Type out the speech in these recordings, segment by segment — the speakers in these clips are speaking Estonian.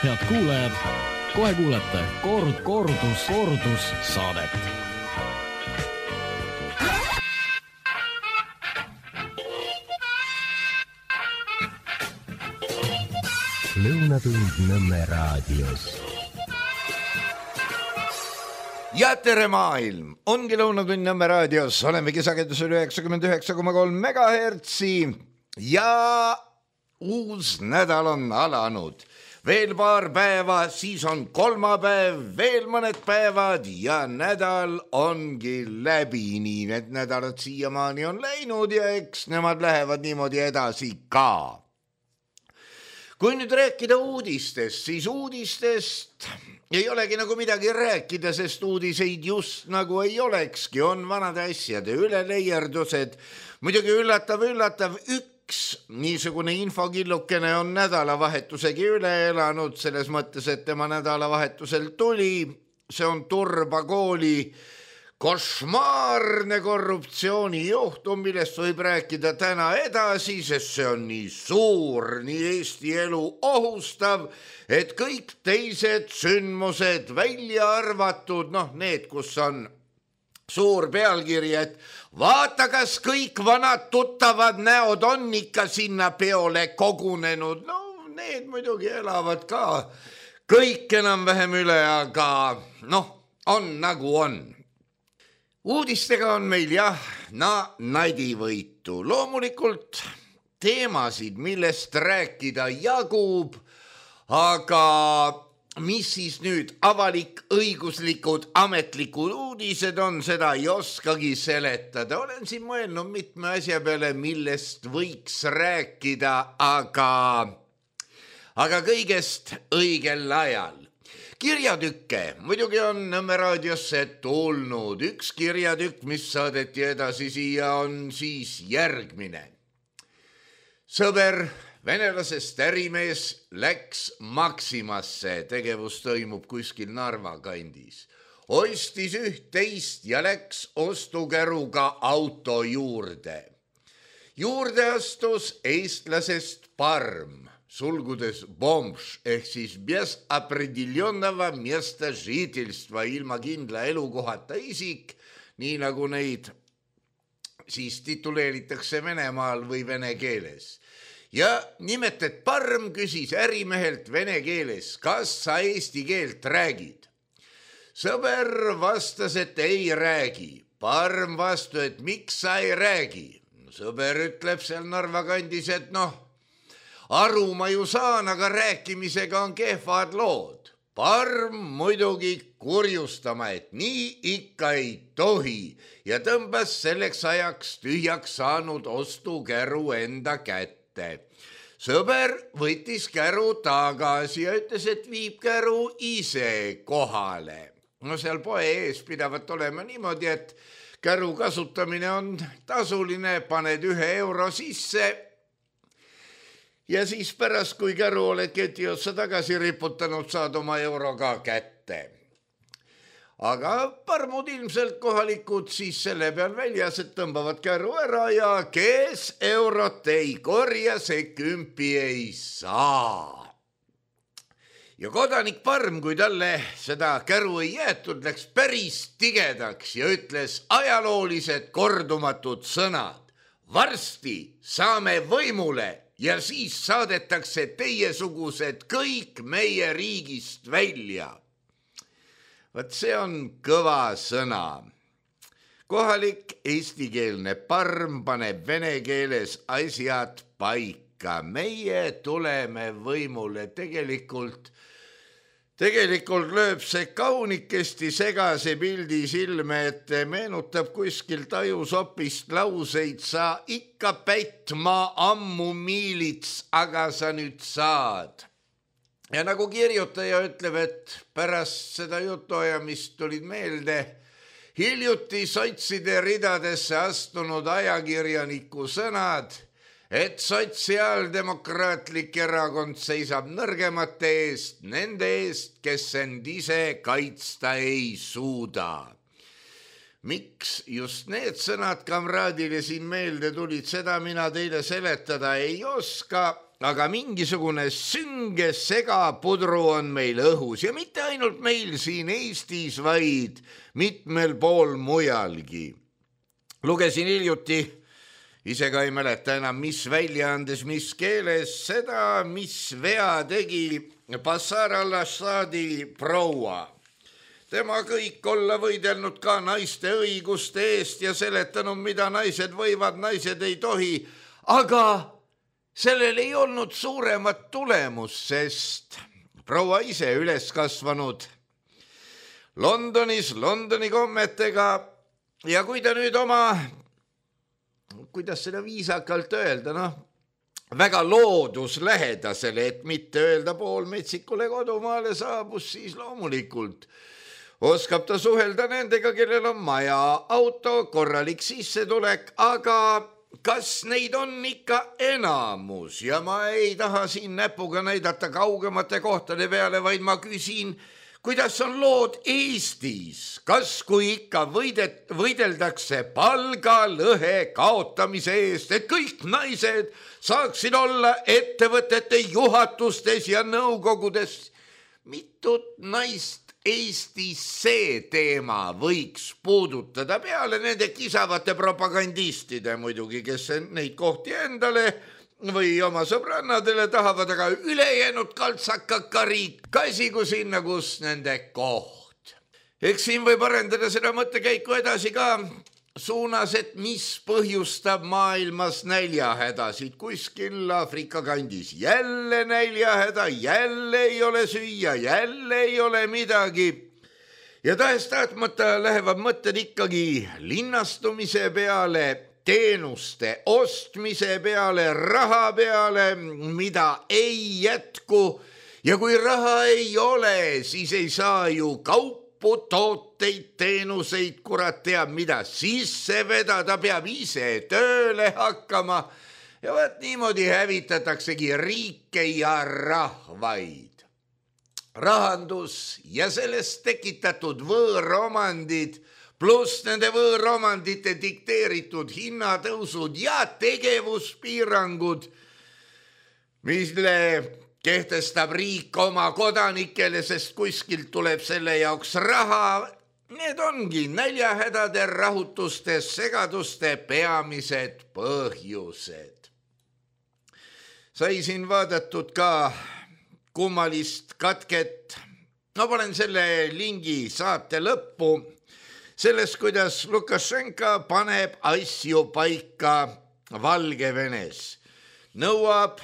Head kuulajad, kohe kuulete kordus saadet. Lõunatund Nõmme raadios. Ja tere maailm, ongi Lõunatund Nõmme raadios, olemegi sagedusel 99,3 megahertsi ja uus nädal on alanud. Veel paar päeva, siis on kolmapäev, veel mõned päevad ja nädal ongi läbi. Nii need nädalad siiamaani on läinud ja eks nemad lähevad niimoodi edasi ka. Kui nüüd rääkida uudistest, siis uudistest ei olegi nagu midagi rääkida, sest uudiseid just nagu ei olekski. On vanade asjade üleleiertused. Muidugi üllatav, üks niisugune infokillukene on nädalavahetusegi üle elanud, selles mõttes, et tema nädalavahetusel tuli. See on Turba kooli košmaarne korruptsioonijuhtum, millest võib rääkida täna edasi, sest see on nii suur, nii Eesti elu ohustav, et kõik teised sündmused välja arvatud, need, kus on suur pealkiri, et vaata, kas kõik vanad tuttavad näod on ikka sinna peole kogunenud. Need muidugi elavad ka kõik enam-vähem üle, aga on nagu on. Uudistega on meil nadivõitu. Loomulikult teemasid, millest rääkida jagub, aga mis siis nüüd avalik õiguslikud ametlikud uudised on, seda ei oskagi seletada. Olen siin mõelnud mitme asja peale, millest võiks rääkida, aga kõigest õigel ajal. Kirjatükke muidugi on Nõmme raadiosse tulnud. Üks kirjatükk, mis saadeti edasi siia, on siis järgmine. Sõber venelasest ärimees läks Maximasse, tegevus toimub kuskil Narva kandis. Ostis üht-teist ja läks ostukäruga auto juurde. Juurde astus eestlasest Parm, sulgudes bomš, ehk siis без определенного места жительства, ilma kindla elukohata isik, nii nagu neid siis tituleeritakse Venemaal või vene keeles. Ja nimelt, et Parm küsis ärimehelt vene keeles, kas sa eesti keelt räägid? Sõber vastas, et ei räägi. Parm vastu, et miks sa ei räägi? Sõber ütleb seal Narva kandis, et aru ma ju saan, aga rääkimisega on kehvad lood. Parm muidugi kurjustama, et nii ikka ei tohi ja tõmbas selleks ajaks tühjaks saanud ostukäru enda kätte. Sõber võttis käru tagasi ja ütles, et viib käru ise kohale. Seal poe ees pidavat olema niimoodi, et käru kasutamine on tasuline, paned 1 euro sisse ja siis pärast, kui käru oled keti otsa tagasi riputanud, saad oma euro ka kätte. Aga parmud ilmselt kohalikud siis selle peal väljas, et tõmbavad käru ära ja kes eurot ei korja, see 10 ei saa. Ja kodanik Parm, kui talle seda käru ei jäetud, läks päris tigedaks ja ütles ajaloolised kordumatud sõnad. Varsti saame võimule ja siis saadetakse teiesugused kõik meie riigist välja. Vaat see on kõva sõna. Kohalik eestikeelne Parm paneb vene keeles asjad paika. Meie tuleme võimule. Tegelikult lööb see kaunikesti segase pildi silme, et meenutab kuskil tajusopist lauseid. Sa ikka päitma ammu miilits, aga sa nüüd saad. Ja nagu kirjutaja ütleb, et pärast seda jutuajamist tulid meelde hiljuti sotside ridadesse astunud ajakirjaniku sõnad, et sotsiaaldemokraatlik erakond seisab nõrgemate eest, nende eest, kes end ise kaitsta ei suuda. Miks just need sõnad kamraadile siin meelde tulid, seda mina teile seletada ei oska, aga mingisugune sünge segapudru on meil õhus ja mitte ainult meil siin Eestis, vaid mitmel pool mujalgi. Lugesin hiljuti, ise ka ei mäleta enam, mis väljaandes, mis keeles, seda, mis vea tegi Bashar al-Assadi proua. Tema kõik olla võidelnud ka naiste õiguste eest ja seletanud, mida naised võivad, naised ei tohi, aga sellel ei olnud suuremat tulemus, sest proua ise üles kasvanud Londonis, Londoni kommetega ja kui ta nüüd oma, kuidas seda viisakalt öelda, väga looduslähedasele, et mitte öelda poolmetsikule kodumaale saabus, siis loomulikult oskab ta suhelda nendega, kellel on maja, auto, korralik sissetulek, aga kas neid on ikka enamus ja ma ei taha siin näpuga näidata kaugemate kohtade peale, vaid ma küsin, kuidas on lood Eestis, kas kui ikka võideldakse palgalõhe kaotamise eest, et kõik naised saaksid olla ettevõtete juhatustes ja nõukogudes, mitut naist Eestis see teema võiks puudutada peale nende kisavate propagandistide muidugi, kes neid kohti endale või oma sõbrannadele tahavad, aga ülejäänud kaltsakakariik käsigu sinna, kus nende koht. Eks siin võib arendada seda mõttekäiku edasi ka suunas, et mis põhjustab maailmas näljahädasid. Kuskil Aafrika kandis jälle näljahäda, jälle ei ole süüa, jälle ei ole midagi. Ja tahes-tahtmata lähevad mõtted ikkagi linnastumise peale, teenuste ostmise peale, raha peale, mida ei jätku. Ja kui raha ei ole, siis ei saa ju tooteid, teenuseid, kurat teab mida sisse vedada, peab ise tööle hakkama ja vaat niimoodi hävitataksegi riike ja rahvaid. Rahandus ja sellest tekitatud võõromandid pluss nende võõromandite dikteeritud hinnatõusud ja tegevuspiirangud, mille kehtestab riik oma kodanikele, sest kuskilt tuleb selle jaoks raha. Need ongi näljahädade, rahutuste, segaduste peamised põhjused. Sai siin vaadatud ka kummalist katket. Ma panen selle lingi saate lõppu. Selles, kuidas Lukašenka paneb asju paika Valgevenes. Nõuab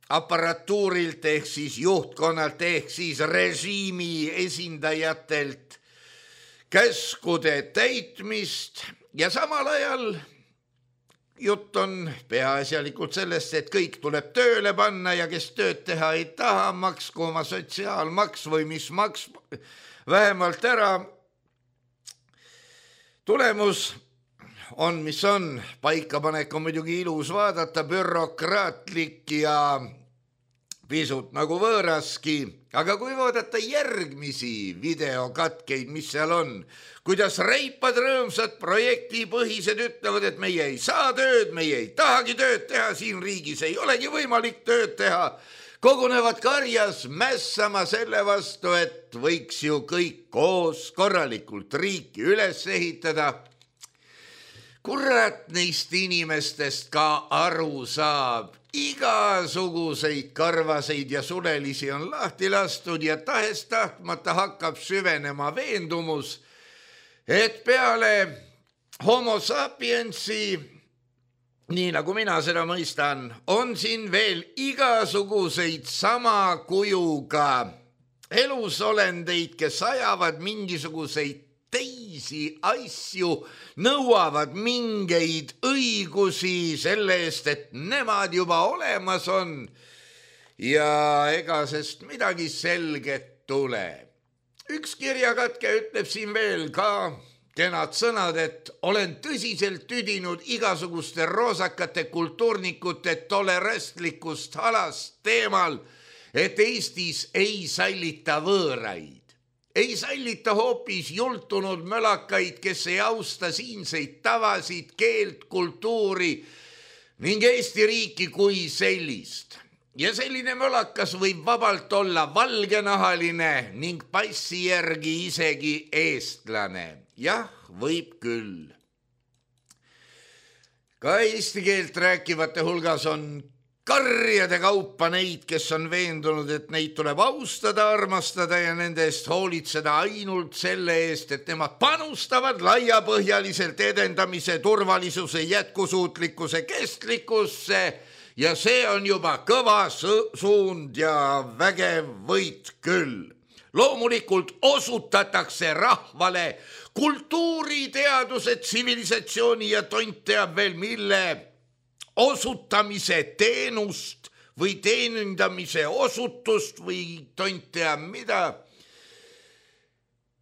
aparatuurilt ehk siis juhtkonnalt ehk siis režiimi esindajatelt käskude täitmist ja samal ajal jutt on peaasjalikult sellest, et kõik tuleb tööle panna ja kes tööd teha ei taha, maksku oma sotsiaalmaks või mis maks vähemalt ära. Tulemus on, mis on, paikapanek on muidugi ilus vaadata, bürokraatlik ja pisut nagu võõraski, aga kui vaadata järgmisi videokatkeid, mis seal on, kuidas reipad rõõmsad projektipõhised ütlevad, et meie ei saa tööd, meie ei tahagi tööd teha, siin riigis ei olegi võimalik tööd teha, kogunevad karjas mässama selle vastu, et võiks ju kõik koos korralikult riiki üles ehitada. Kurat neist inimestest ka aru saab. Igasuguseid karvaseid ja sulelisi on lahti lastud ja tahes-tahtmata hakkab süvenema veendumus, et peale homo sapiensi, nii nagu mina seda mõistan, on siin veel igasuguseid sama kujuga elusolendeid, kes ajavad mingisuguseid teisi asju, nõuavad mingeid õigusi selle eest, et nemad juba olemas on ja ega sest midagi selget tule. Üks kirjakatke ütleb siin veel ka kenad sõnad, et olen tõsiselt tüdinud igasuguste roosakate kultuurnikute tolerastlikust halast teemal, et Eestis ei sallita võõraid. Ei sallita hoopis jultunud mölakaid, kes ei austa siinseid tavasid, keelt, kultuuri ning Eesti riiki kui sellist. ja selline mölakas võib vabalt olla valgenahaline ning passi järgi isegi eestlane. Jah, võib küll. Ka eesti keelt rääkivate hulgas on karjade kaupa neid, kes on veendunud, et neid tuleb austada, armastada ja nende eest hoolitseda ainult selle eest, et nemad panustavad laiapõhjaliselt edendamise, turvalisuse, jätkusuutlikkuse, kestlikkusse ja see on juba kõva suund ja vägev võit küll. Loomulikult osutatakse rahvale kultuuri, teaduse, tsivilisatsiooni ja tont teab veel mille osutamise teenust või teenindamise osutust või tont teab mida.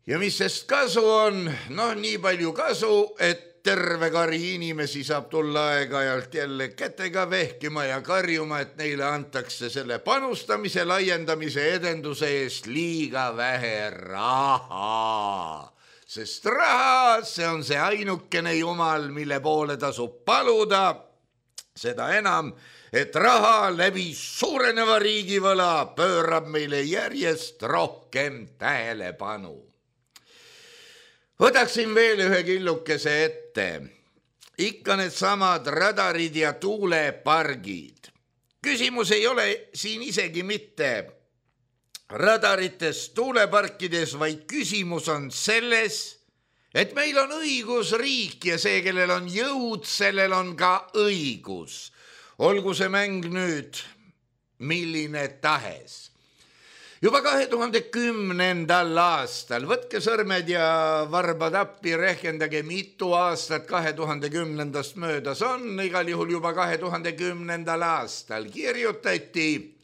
Ja mis sest kasu on? Nii palju kasu, et terve kari inimesi saab tulla aeg-ajalt jälle kätega vehkima ja karjuma, et neile antakse selle panustamise, laiendamise, edenduse eest liiga vähe raha. Sest raha, see on see ainukene jumal, mille poole tasub paluda. Seda enam, et raha läbi suureneva riigivõla pöörab meile järjest rohkem tähelepanu. Võtaksin veel ühe killukese ette. Ikka need samad radarid ja tuulepargid. Küsimus ei ole siin isegi mitte radarites, tuuleparkides, vaid küsimus on selles, et meil on õigusriik ja see, kellel on jõud, sellel on ka õigus. Olgu see mäng nüüd milline tahes. Juba 2010. aastal, võtke sõrmed ja varbad appi, rehkendage mitu aastat 2010. möödas on, igal juhul juba 2010. aastal kirjutati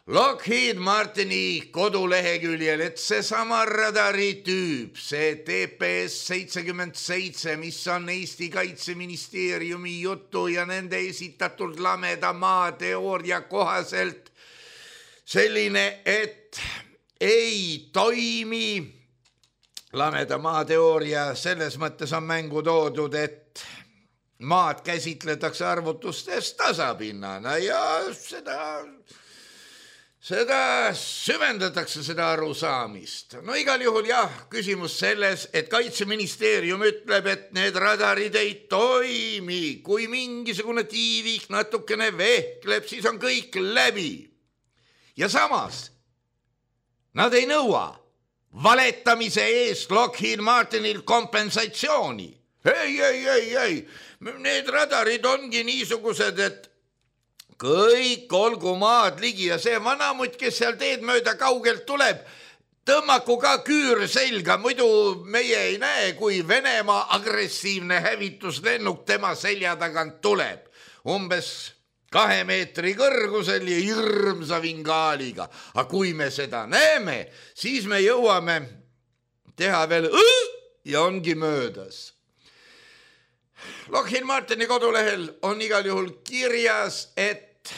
Lockheed Martini koduleheküljel, et seesama radaritüüp, see TPS-77, mis on Eesti Kaitseministeeriumi jutu ja nende esitatud lameda maa teooria kohaselt selline, et ei toimi. Lameda maa teooria selles mõttes on mängu toodud, et maad käsitletakse arvutustes tasapinnana ja seda süvendatakse, seda arusaamist. Igal juhul jah, küsimus selles, et Kaitseministeerium ütleb, et need radarid ei toimi. Kui mingisugune tiivik natukene vehkleb, siis on kõik läbi. Ja samas, nad ei nõua valetamise eest Lockheed Martinil kompensatsiooni. Ei. Need radarid ongi niisugused, et kõik olgu maad ligi ja see vanamutt, kes seal teed mööda kaugelt tuleb, tõmmaku ka küür selga, muidu meie ei näe, kui Venemaa agressiivne hävituslennuk tema selja tagant tuleb. Umbes 2 meetri kõrgusel ja hirmsa vingaaliga. Aga kui me seda näeme, siis me jõuame teha veel ja ongi möödas. Lockheed Martini kodulehel on igal juhul kirjas, et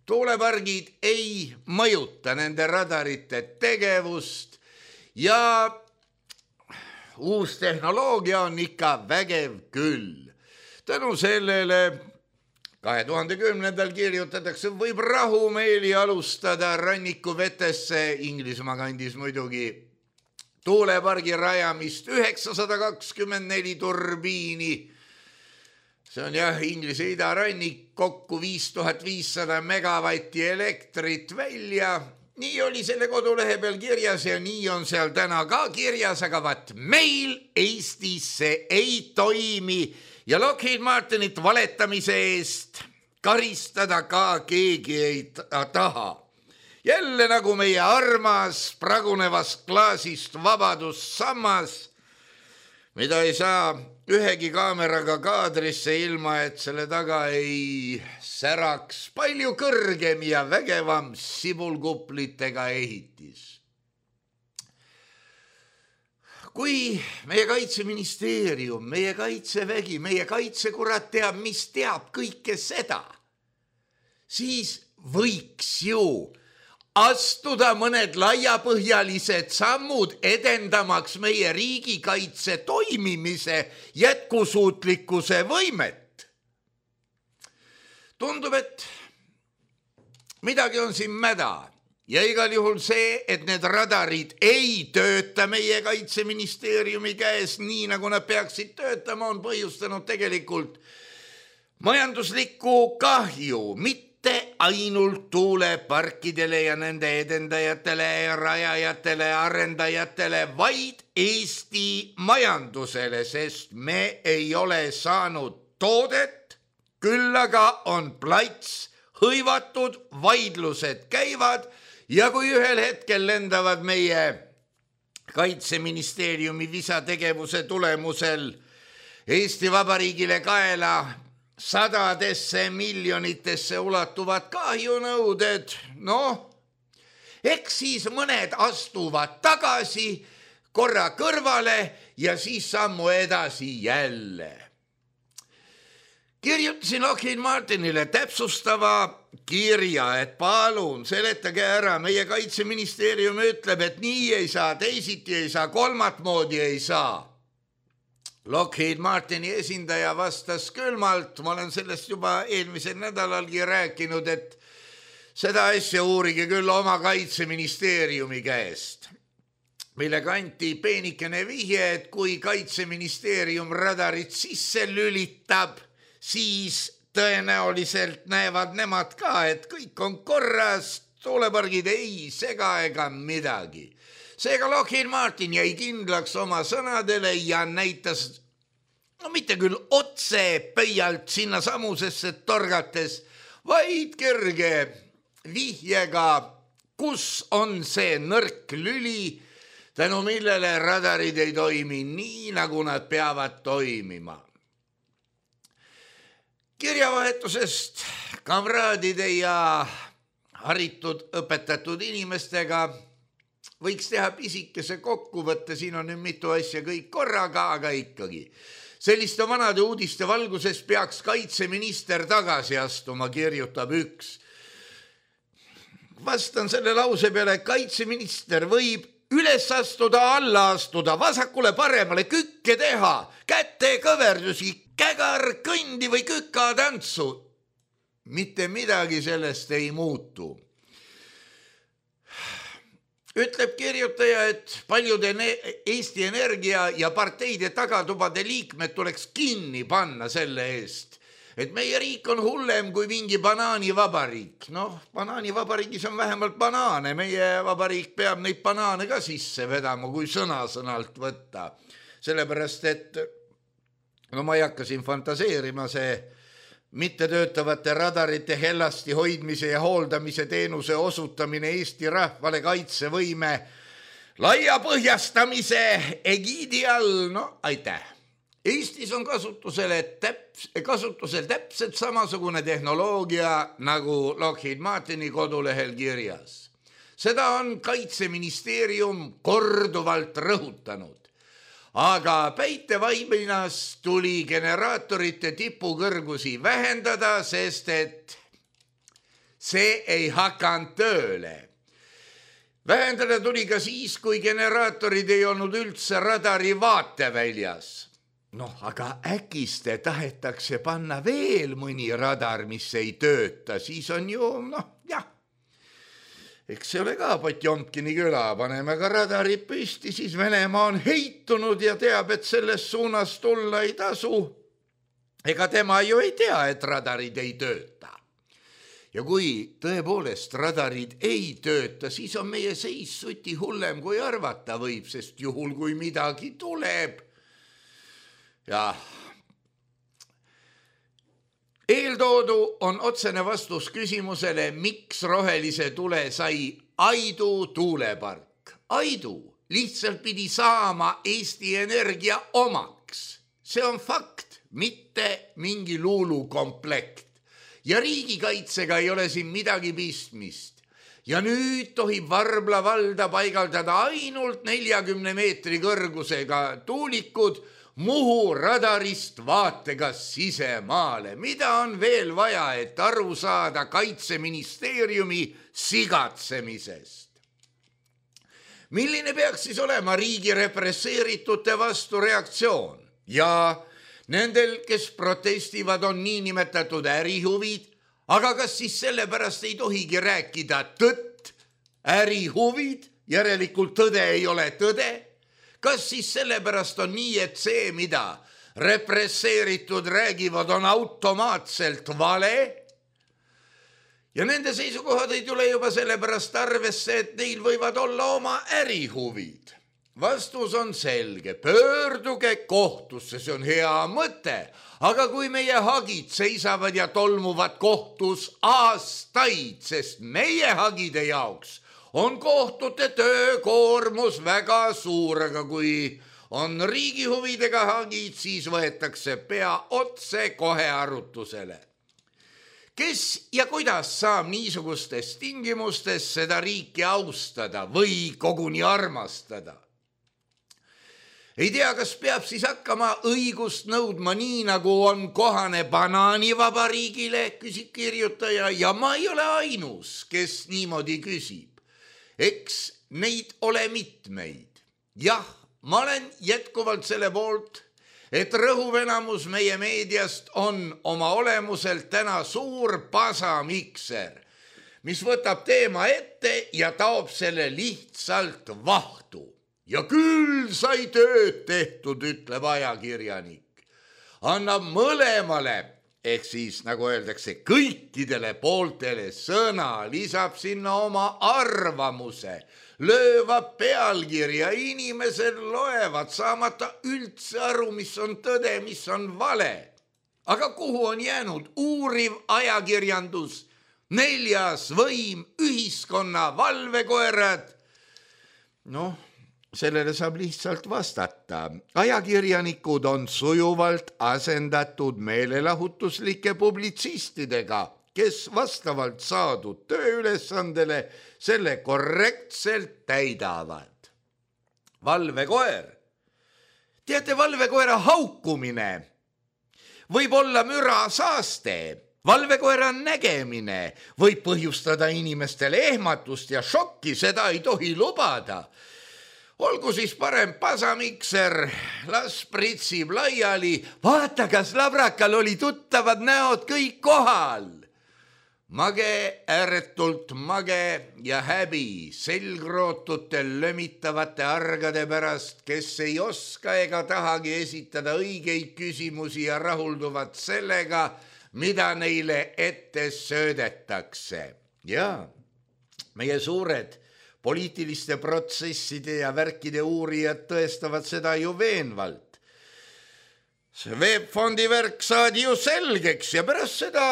tuulepargid ei mõjuta nende radarite tegevust ja uus tehnoloogia on ikka vägev küll. Tänu sellele 2010. kirjutatakse, võib rahumeeli alustada rannikuvetesse Inglismaa kandis muidugi tuulepargi rajamist 924 turbiini. See on jah, Inglise idarannik, kokku 5500 megavatti elektrit välja. Nii oli selle kodulehe peal kirjas ja nii on seal täna ka kirjas, aga vaat meil Eestis see ei toimi ja Lockheed Martinit valetamise eest karistada ka keegi ei taha. Jälle nagu meie armas pragunevast klaasist vabadussammas, mida ei saa ühegi kaameraga kaadrisse ilma, et selle taga ei säraks palju kõrgem ja vägevam sibulkuplitega ehitis. Kui meie Kaitseministeerium, meie Kaitsevägi, meie kaitsekurat teab, mis teab kõike seda, siis võiks ju astuda mõned laiapõhjalised sammud edendamaks meie riigikaitse toimimise jätkusuutlikkuse võimet. tundub, et midagi on siin mäda ja igal juhul see, et need radarid ei tööta meie Kaitseministeeriumi käes nii, nagu nad peaksid töötama, on põhjustanud tegelikult majanduslikku kahju, mitte ainult tuuleparkidele ja nende edendajatele, rajajatele, arendajatele, vaid Eesti majandusele, sest me ei ole saanud toodet, küll aga on plats hõivatud, vaidlused käivad ja kui ühel hetkel lendavad meie Kaitseministeeriumi visategevuse tulemusel Eesti Vabariigile kaela sadadesse miljonitesse ulatuvad kahjunõuded, eks siis mõned astuvad tagasi, korra kõrvale ja siis sammu edasi jälle. Kirjutasin Lockheed Martinile täpsustava kirja, et palun seletage ära, meie Kaitseministeerium ütleb, et nii ei saa, teisiti ei saa, kolmat moodi ei saa. Lockheed Martini esindaja vastas külmalt, ma olen sellest juba eelmisel nädalalgi rääkinud, et seda asja uurige küll oma Kaitseministeeriumi käest, millega anti peenikene vihje, et kui Kaitseministeerium radarit sisse lülitab, siis tõenäoliselt näevad nemad ka, et kõik on korras, tuulepargid ei sega ega midagi. Seega Lockheed Martin jäi kindlaks oma sõnadele ja näitas, mitte küll otse pöialt sinna samusesse torgates, vaid kerge vihjega, kus on see nõrk lüli, tänu millele radarid ei toimi nii, nagu nad peavad toimima. Kirjavahetusest kamraadide ja haritud õpetatud inimestega võiks teha pisikese kokkuvõtte, siin on nüüd mitu asja kõik korraga, aga ikkagi. Selliste vanade uudiste valguses peaks kaitseminister tagasi astuma, kirjutab üks. Vastan selle lause peale, kaitseminister võib üles astuda, alla astuda, vasakule paremale, kükke teha, käte kõverdusi, kägar, kõndi või küka tantsu. Mitte midagi sellest ei muutu. Ütleb kirjutaja, et paljude Eesti Energia ja parteide tagatubade liikmed tuleks kinni panna selle eest, et meie riik on hullem kui mingi banaanivabariik. Banaanivabariigis on vähemalt banaane, meie vabariik peab neid banaane ka sisse vedama, kui sõnalt võtta. Sellepärast, et ma ei hakka siin fantaseerima, see mittetöötavate radarite hellasti hoidmise ja hooldamise teenuse osutamine Eesti rahvale kaitsevõime laiapõhjastamise egiidi all, aitäh. Eestis on kasutusel täpselt samasugune tehnoloogia nagu Lockheed Martini kodulehel kirjas. Seda on Kaitseministeerium korduvalt rõhutanud. Aga päitevaibinas tuli generaatorite tipukõrgusi vähendada, sest et see ei hakanud tööle. Vähendada tuli ka siis, kui generaatorid ei olnud üldse radari vaateväljas. Aga äkiste tahetakse panna veel mõni radar, mis ei tööta, siis on ju, eks see ole ka Potjomkini küla, paneme ka radarid püsti, siis Venemaa on heitunud ja teab, et selles suunas tulla ei tasu. Ega tema ju ei tea, et radarid ei tööta. Ja kui tõepoolest radarid ei tööta, siis on meie seis suti hullem kui arvata võib, sest juhul kui midagi tuleb. Ja eeltoodu on otsene vastus küsimusele, miks rohelise tule sai Aidu tuulepark. Aidu lihtsalt pidi saama Eesti Energia omaks. See on fakt, mitte mingi luulukomplekt. Ja riigikaitsega ei ole siin midagi pistmist. Ja nüüd tohib Varbla valda paigaldada ainult 40 meetri kõrgusega tuulikud Muhu radarist vaatega sisemaale. Mida on veel vaja, et aru saada Kaitseministeeriumi sigatsemisest? Milline peaks siis olema riigi represseeritute vastu reaktsioon? Ja nendel, kes protestivad, on niinimetatud ärihuvid, aga kas siis sellepärast ei tohigi rääkida tõtt, ärihuvid, järelikult tõde ei ole tõde? Kas siis sellepärast on nii, et see, mida represseeritud räägivad, on automaatselt vale? Ja nende seisukohad ei tule juba sellepärast arvesse, et neil võivad olla oma ärihuvid. Vastus on selge, pöörduge kohtusse, see on hea mõte, aga kui meie hagid seisavad ja tolmuvad kohtus aastaid, sest meie hagide jaoks on kohtute töökoormus väga suur, aga kui on riigi huvidega hagid, siis võetakse pea otse kohe arutusele. Kes ja kuidas saab niisugustes tingimustes seda riiki austada või koguni armastada? Ei tea, kas peab siis hakkama õigust nõudma nii, nagu on kohane banaanivabariigile, küsib kirjutaja, ja ma ei ole ainus, kes niimoodi küsib. Eks neid ole mitmeid. Jah, ma olen jätkuvalt selle poolt, et rõhuv enamus meie meediast on oma olemuselt täna suur pasamikser, mis võtab teema ette ja taob selle lihtsalt vahtu. Ja küll sai tööd tehtud, ütleb ajakirjanik. Annab mõlemale, ehk siis nagu öeldakse, kõikidele pooltele sõna, lisab sinna oma arvamuse, löövad pealkirja, inimesed loevad, saamata üldse aru, mis on tõde, mis on vale. Aga kuhu on jäänud uuriv ajakirjandus, neljas võim, ühiskonna valvekoerad? Sellele saab lihtsalt vastata. Ajakirjanikud on sujuvalt asendatud meelelahutuslike publitsistidega, kes vastavalt saadud tööülesandele selle korrektselt täidavad. Valvekoer. Teate, valvekoera haukumine võib olla mürasaaste. Valvekoera nägemine võib põhjustada inimestele ehmatust ja šokki, seda ei tohi lubada. Olgu siis parem pasamikser, las pritsib laiali, vaata, kas labrakal oli tuttavad näod kõik kohal. Mage, ääretult mage ja häbi selgrootutel lömitavate argade pärast, kes ei oska ega tahagi esitada õigeid küsimusi ja rahulduvad sellega, mida neile ette söödetakse. Ja meie suured poliitiliste protsesside ja värkide uurijad tõestavad seda ju veenvalt. See Veebfondi värk saadi ju selgeks ja pärast seda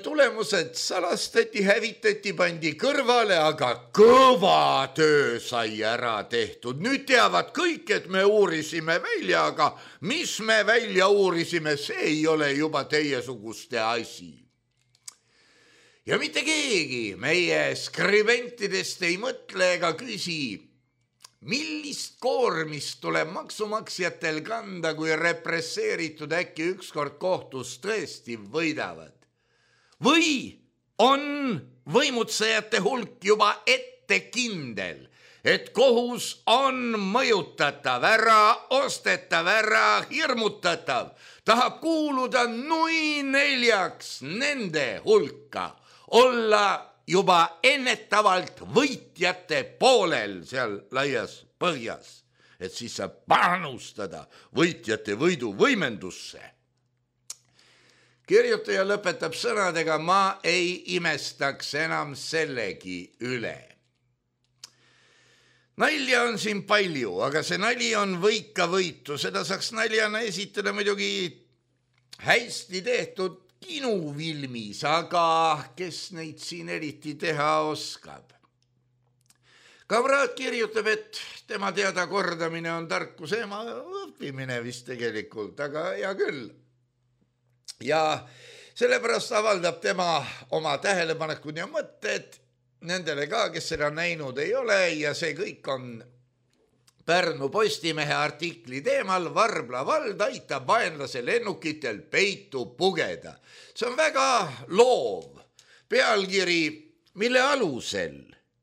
tulemused salastati, hävitati, pandi kõrvale, aga kõva töö sai ära tehtud. Nüüd teavad kõik, et me uurisime välja, aga mis me välja uurisime, see ei ole juba teiesuguste asi. Ja mitte keegi meie skribentidest ei mõtle ega küsi, millist koormist tuleb maksumaksjatel kanda, kui represseeritud äkki ükskord kohtus tõesti võidavad. Või on võimutsejate hulk juba ette kindel, et kohus on mõjutatav, ära ostetav, ära hirmutatav, tahab kuuluda nui neljaks nende hulka, olla juba ennetavalt võitjate poolel seal laias põhjas, et siis saab panustada võitjate võidu võimendusse. Kirjutaja lõpetab sõnadega, ma ei imestaks enam sellegi üle. Nalja on siin palju, aga see nali on võika võitu, seda saaks naljana esitada muidugi hästi tehtud kinufilmis, aga kes neid siin eriti teha oskab? Kamraad kirjutab, et tema teada kordamine on tarkuse ema, õppimine vist tegelikult, aga hea küll. Ja sellepärast avaldab tema oma tähelepanekud ja mõtted nendele ka, kes seda näinud ei ole, ja see kõik on Pärnu Postimehe artikli teemal Varbla vald aitab vaenlase lennukitel peitu pugeda. See on väga loov pealkiri, mille alusel,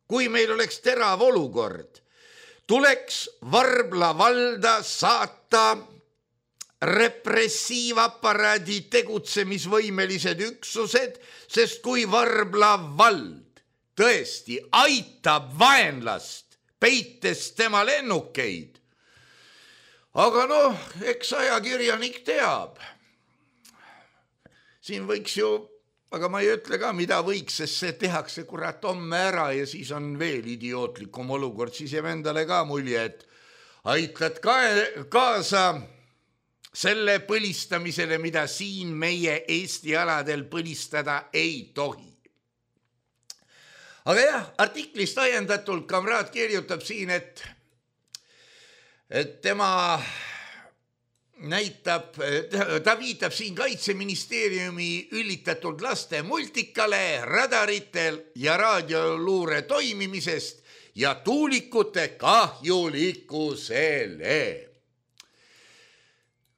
kui meil oleks terav olukord, tuleks Varbla valda saata repressiivaparaadi tegutsemisvõimelised üksused, sest kui Varbla vald tõesti aitab vaenlast, peites tema lennukeid. Aga noh, eks ajakirjanik teab. Siin võiks ju, aga ma ei ütle ka, mida võiks, sest see tehakse kurat homme ära ja siis on veel idiootlikum olukord, siis jääb endale ka mulje, et aitad kaasa selle põlistamisele, mida siin meie Eesti aladel põlistada ei tohi. Aga jah, artiklist ajendatult kamraad kirjutab siin, et tema ta viitab siin Kaitseministeeriumi üllitatud laste multikale, radaritel ja raadioluure toimimisest ja tuulikute kahjulikkusele.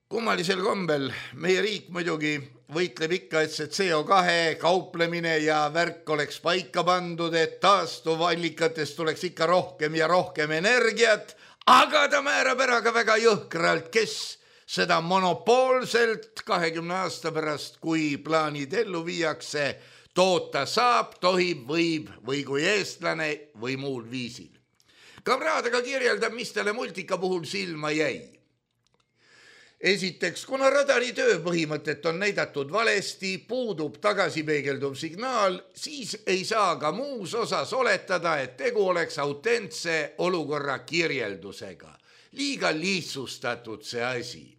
Kummalisel kombel meie riik muidugi võitleb ikka, et see CO2 kauplemine ja värk oleks paika pandud, et taastuvallikatest tuleks ikka rohkem ja rohkem energiat, aga ta määrab ära ka väga jõhkralt, kes seda monopoolselt 20 aasta pärast, kui plaanid ellu viiakse, toota saab, tohib, võib või kui eestlane või muul viisil. Kamraad aga kirjeldab, mis talle multika puhul silma jäi. Esiteks, kuna radari töö põhimõtet on näidatud valesti, puudub tagasipeegelduv signaal, siis ei saa ka muus osas oletada, et tegu oleks autentse olukorra kirjeldusega. Liiga lihtsustatud see asi.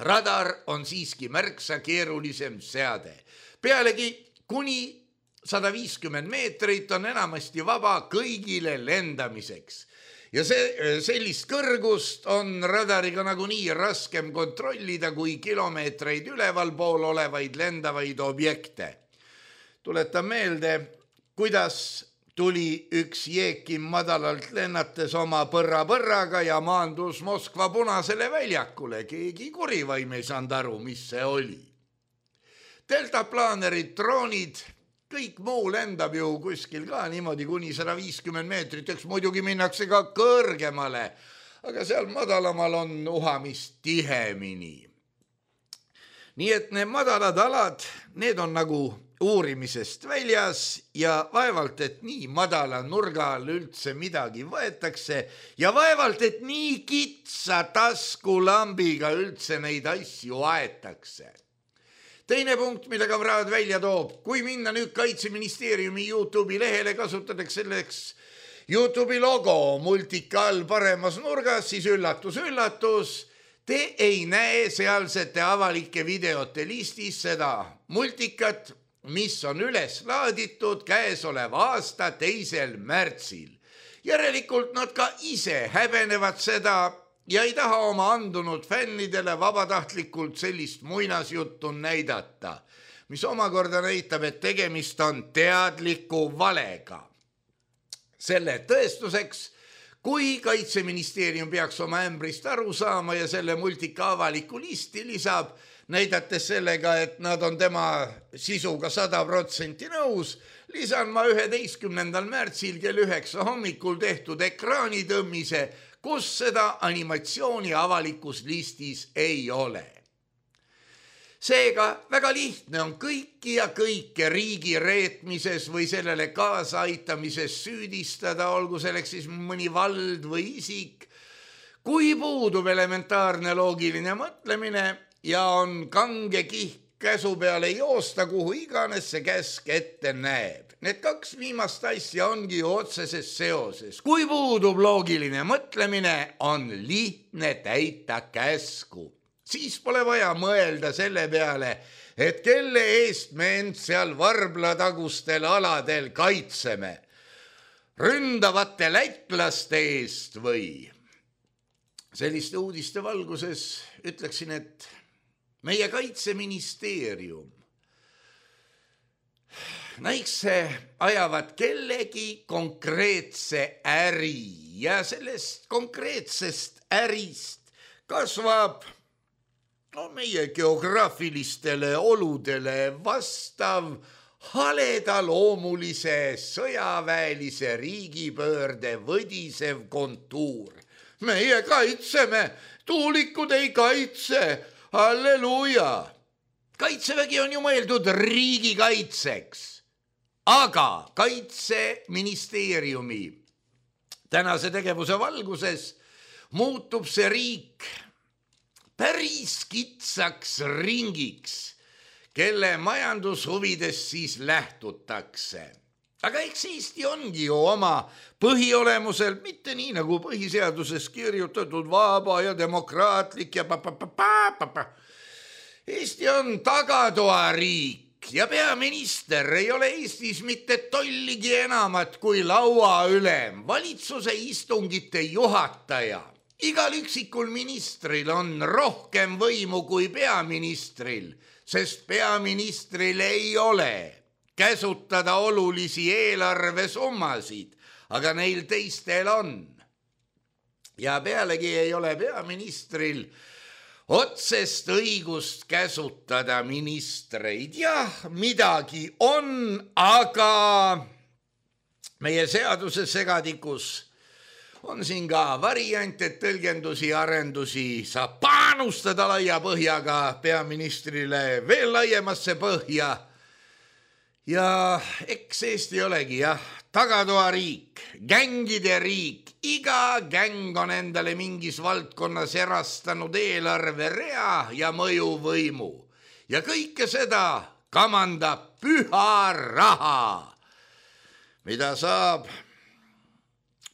Radar on siiski märksa keerulisem seade. Pealegi kuni 150 meetrit on enamasti vaba kõigile lendamiseks. Ja sellist kõrgust on radariga nagunii raskem kontrollida kui kilomeetreid ülevalpool olevaid lendavaid objekte. Tuletan meelde, kuidas tuli üks Jeekim madalalt lennates oma põrraga ja maandus Moskva Punasele väljakule. Keegi kurivaim ei saanud aru, mis see oli. Deltaplaanerid, droonid, kõik muu lendab ju kuskil ka niimoodi kuni 150 meetrit, eks muidugi minnakse ka kõrgemale, aga seal madalamal on uhamist tihemini. Nii et need madalad alad, need on nagu uurimisest väljas ja vaevalt, et nii madala nurga all üldse midagi võetakse ja vaevalt, et nii kitsa taskulambiga üldse neid asju aetakse. Teine punkt, mille kamraad välja toob, kui minna nüüd Kaitseministeeriumi YouTube'i lehele, kasutatakse selleks YouTube'i logo multika all paremas nurgas, siis üllatus, te ei näe sealsete avalike videote listis seda multikat, mis on üles laaditud käesoleva aasta 2. märtsil. Järelikult nad ka ise häbenevad seda ja ei taha oma andunud fännidele vabatahtlikult sellist muinasjuttu näidata, mis omakorda näitab, et tegemist on teadliku valega. Selle tõestuseks, kui Kaitseministeerium peaks oma ämbrist aru saama ja selle multika avaliku listi lisab, näidates sellega, et nad on tema sisuga 100% nõus, lisan ma 11. märtsil kell 9 hommikul tehtud ekraanitõmmise, kus seda animatsiooni avalikus listis ei ole. Seega väga lihtne on kõiki ja kõike riigi reetmises või sellele kaasaaitamises süüdistada, olgu selleks siis mõni vald või isik, kui puudub elementaarne loogiline mõtlemine ja on kange kihk käsu peale joosta, kuhu iganes see käsk ette näeb. Need 2 viimast asja ongi otseses seoses. Kui puudub loogiline mõtlemine, on lihtne täita käsku. Siis pole vaja mõelda selle peale, et kelle eest me end seal Varbla-tagustel aladel kaitseme. Ründavate lätlaste eest või? Selliste uudiste valguses ütleksin, et meie Kaitseministeerium näikse ajavad kellegi konkreetse äri ja sellest konkreetsest ärist kasvab meie geograafilistele oludele vastav haledaloomulise sõjaväelise riigipöörde võdisev kontuur. Meie kaitseme, tuulikud ei kaitse, halleluuja. Kaitsevägi on ju mõeldud riigikaitseks, aga Kaitseministeeriumi tänase tegevuse valguses muutub see riik päris kitsaks ringiks, kelle majandushuvidest siis lähtutakse. Aga eks Eesti ongi ju oma põhiolemusel mitte nii nagu põhiseaduses kirjutatud vaba ja demokraatlik ja Eesti on tagatoariik ja peaminister ei ole Eestis mitte tolligi enamat kui lauaülem, valitsuse istungite juhataja. Igal üksikul ministril on rohkem võimu kui peaministril, sest peaministril ei ole käsutada olulisi eelarvesummasid, aga neil teistel on. Ja pealegi ei ole peaministril otsest õigust käsutada ministreid. Jah, midagi on, aga meie seaduse segadikus on siin ka variant, et tõlgendusi ja arendusi saab panustada laia põhjaga peaministrile veel laiemasse põhja. Ja eks Eesti olegi tagatoariik, gängide riik, iga gäng on endale mingis valdkonnas erastanud eelarverea ja mõjuvõimu ja kõike seda kamandab püha raha, mida saab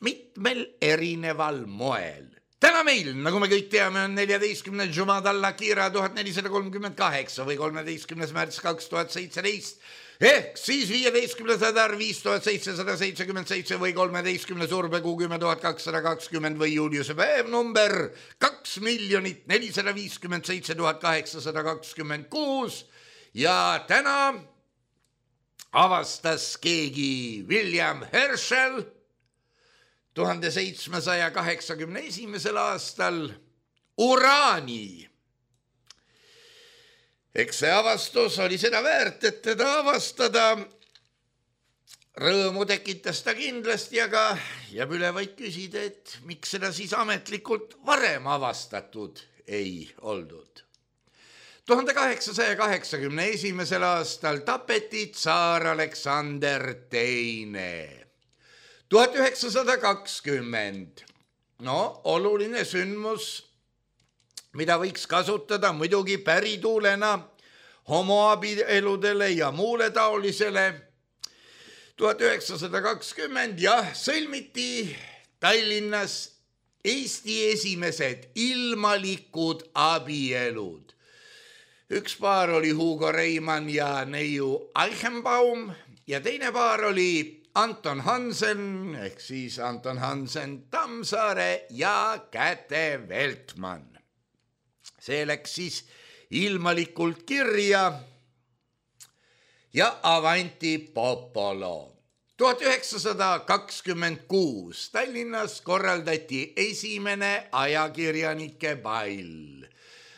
mitmel erineval moel. Täna meil, nagu me kõik teame, on 14. Jumad al-Akhira 1438 või 13. märts 2017 ehk siis 15. Adar 5777 või 13. Surbekuu 10220 või Juliuse päev number 2,457,826 ja täna avastas keegi William Herschel 1781. aastal uraani. Eks see avastus oli seda väärt, et teda avastada. Rõõmu tekitas ta kindlasti, aga jääb üle vaid küsida, et miks seda siis ametlikult varem avastatud ei oldud. 1881. aastal tapeti tsaar Aleksander II. 1920. Oluline sündmus, mida võiks kasutada muidugi pärituulena homoabieludele ja muule taolisele. 1920 sõlmiti Tallinnas Eesti esimesed ilmalikud abielud. Üks paar oli Hugo Reimann ja Neiu Eichenbaum ja teine paar oli Anton Hansen ehk siis Anton Hansen Tammsaare ja Käte Veltmann. See läks siis ilmalikult kirja ja avanti popolo. 1926 Tallinnas korraldati esimene ajakirjanike pall.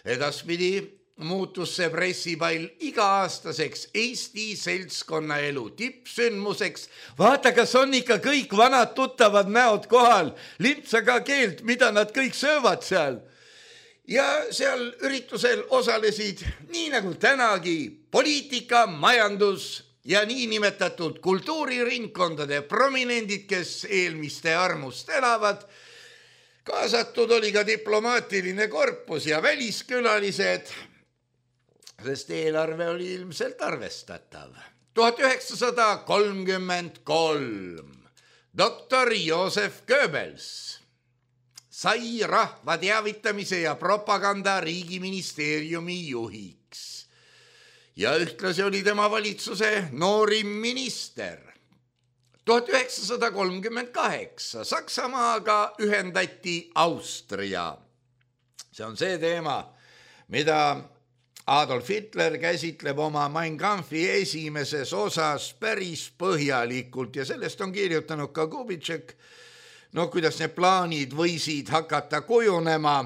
Edaspidi muutus see pressipall iga-aastaseks Eesti seltskonna elu tippsündmuseks. Vaata, kas on ikka kõik vanad tuttavad näod kohal, lintsaga keelt, mida nad kõik söövad seal. Ja seal üritusel osalesid, nii nagu tänagi, poliitika, majandus ja niinimetatud kultuuriringkondade prominendid, kes eelmiste armust elavad. Kaasatud oli ka diplomaatiline korpus ja väliskülalised, sest eelarve oli ilmselt arvestatav. 1933 doktor Josef Goebbels sai rahva teavitamise ja propaganda riigiministeeriumi juhiks ja ühtlasi oli tema valitsuse noorim minister. 1938 Saksamaaga ühendati Austria. See on see teema, mida Adolf Hitler käsitleb oma Mein Kampfi esimeses osas päris põhjalikult ja sellest on kirjutanud ka Kubitšek. Kuidas need plaanid võisid hakata kujunema,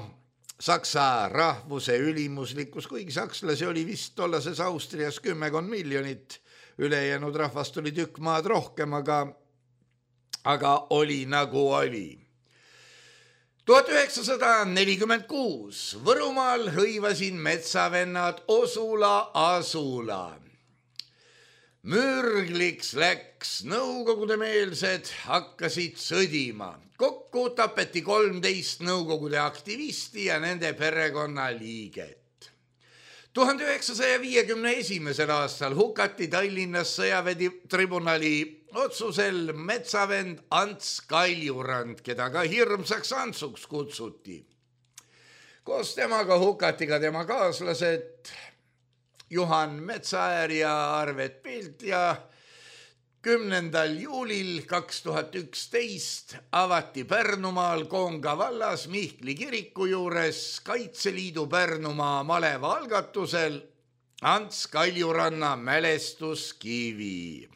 Saksa rahvuse ülimuslikkus, kuigi sakslasi oli vist tollases Austrias 10 miljonit, ülejäänud rahvast oli tükk maad rohkem, aga oli nagu oli. 1946 Võrumaal hõivasin metsavennad Osula Asula. Mürgliks läks, nõukogude meelsed hakkasid sõdima. Kokku tapeti 13 nõukogude aktivisti ja nende perekonna liiget. 1951. aastal hukati Tallinnas sõjaväetribunali otsusel metsavend Ants Kaljurand, keda ka hirmsaks Antsuks kutsuti. Koos temaga hukati ka tema kaaslased Juhan Metsaäär ja Arvet Pilt ja 10. juulil 2011 avati Pärnumaal Koonga vallas Mihkli kiriku juures Kaitseliidu Pärnumaa maleva algatusel Ants Kaljuranna mälestuskivi.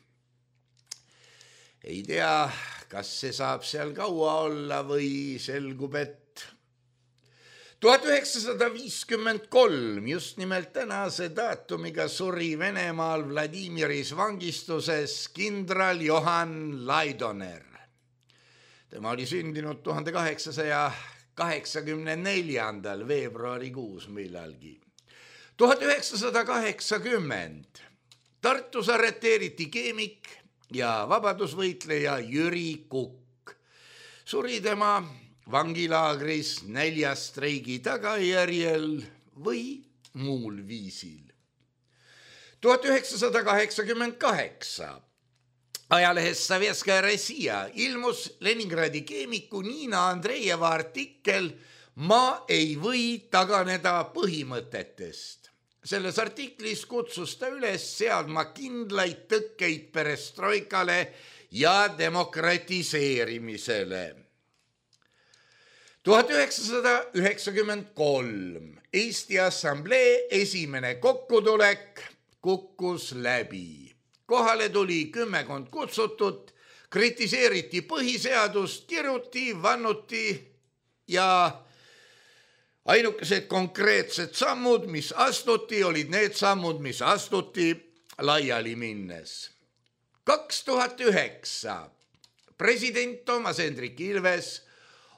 Ei tea, kas see saab seal kaua olla või selgub, et 1953 just nimelt tänase daatumiga suri Venemaal Vladimiris vangistuses kindral Johann Laidoner. Tema oli sündinud 1884. veebruarikuus millalgi. 1980 Tartus arreteeriti keemik ja vabadusvõitleja Jüri Kukk. Suri tema vangilaagris näljastreigi tagajärjel või muul viisil. 1988 ajalehes Sovetskaja Rossija ilmus Leningradi keemiku Niina Andreeva artikkel "Ma ei või taganeda põhimõtetest". Selles artiklis kutsus ta üles seadma kindlaid tõkkeid perestroikale ja demokratiseerimisele. 1993 Eesti Assamblee esimene kokkutulek kukkus läbi. Kohale tuli 10 kutsutut, kritiseeriti põhiseadust, kiruti, vannuti ja ainukesed konkreetsed sammud, mis astuti, olid need sammud, mis astuti laiali minnes. 2009 president Toomas Hendrik Ilves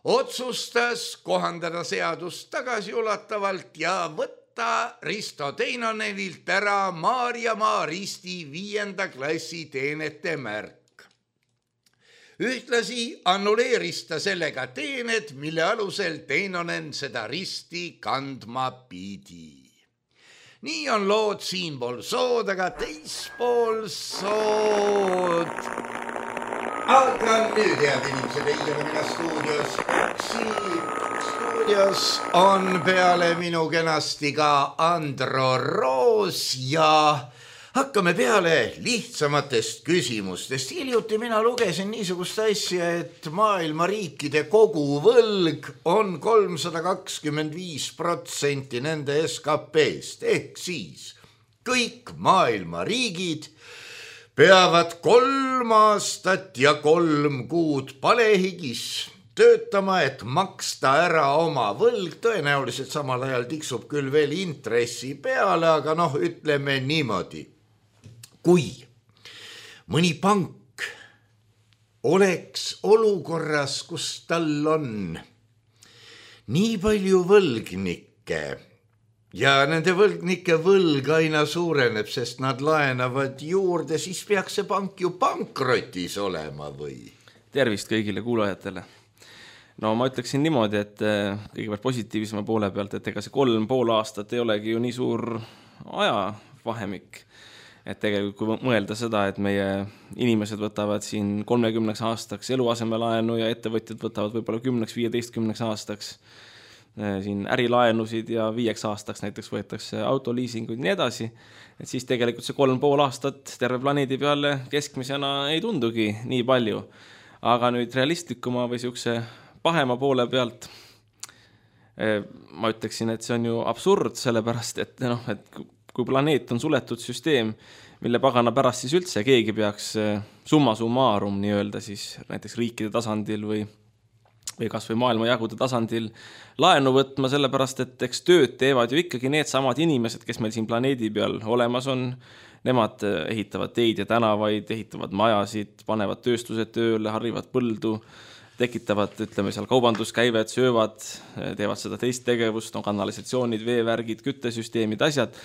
otsustas kohandada seadust tagasiulatavalt ja võtta Risto Teinonenilt ära Maarjamaa Risti 5. klassi teenete märk. Ühtlasi annuleeris ta sellega teened, mille alusel Teinonen seda risti kandma pidi. Nii on lood siinpool sood, aga teispool sood. Aga nüüd, head inimesed, ei ole mina stuudios. Stuudios on peale minu kenasti ka Andro Roos ja hakkame peale lihtsamatest küsimustest. Hiljuti mina lugesin niisugust asja, et maailma riikide koguvõlg on 325% nende SKP-st. Ehk siis kõik maailma riigid peavad 3 aastat ja 3 kuud palehigis töötama, et maksta ära oma võlg. Tõenäoliselt samal ajal tiksub küll veel intressi peale, aga ütleme niimoodi. Kui mõni pank oleks olukorras, kus tal on nii palju võlgnikke ja nende võlgnike võlg aina suureneb, sest nad laenavad juurde, siis peaks see pank ju pankrotis olema või? Tervist kõigile kuulajatele. No ma ütleksin niimoodi, et kõigepealt positiivsema poole pealt, et ega see 3,5 aastat ei olegi ju nii suur ajavahemik. Et tegelikult kui mõelda seda, et meie inimesed võtavad siin 30 aastaks eluasemelaenu ja ettevõtjad võtavad võib-olla 10-15 aastaks siin ärilaenusid ja 5 aastaks näiteks võetakse autoliisinguid nii edasi, et siis tegelikult see 3,5 aastat terve planeedi peale keskmisena ei tundugi nii palju. Aga nüüd realistlikuma või siukse pahema poole pealt ma ütleksin, et see on ju absurd, sellepärast, et kui planeet on suletud süsteem, mille pagana pärast siis üldse keegi peaks summa summarum nii-öelda siis näiteks riikide tasandil või kas või maailmajagude tasandil laenu võtma, sellepärast, et eks tööd teevad ju ikkagi need samad inimesed, kes meil siin planeedi peal olemas on. Nemad ehitavad teid ja tänavaid, ehitavad majasid, panevad tööstused tööle, harrivad põldu, tekitavad, ütleme seal kaubanduskäivet, söövad, teevad seda teist tegevust, kanalisatsioonid, veevärgid, küttesüsteemid, asjad.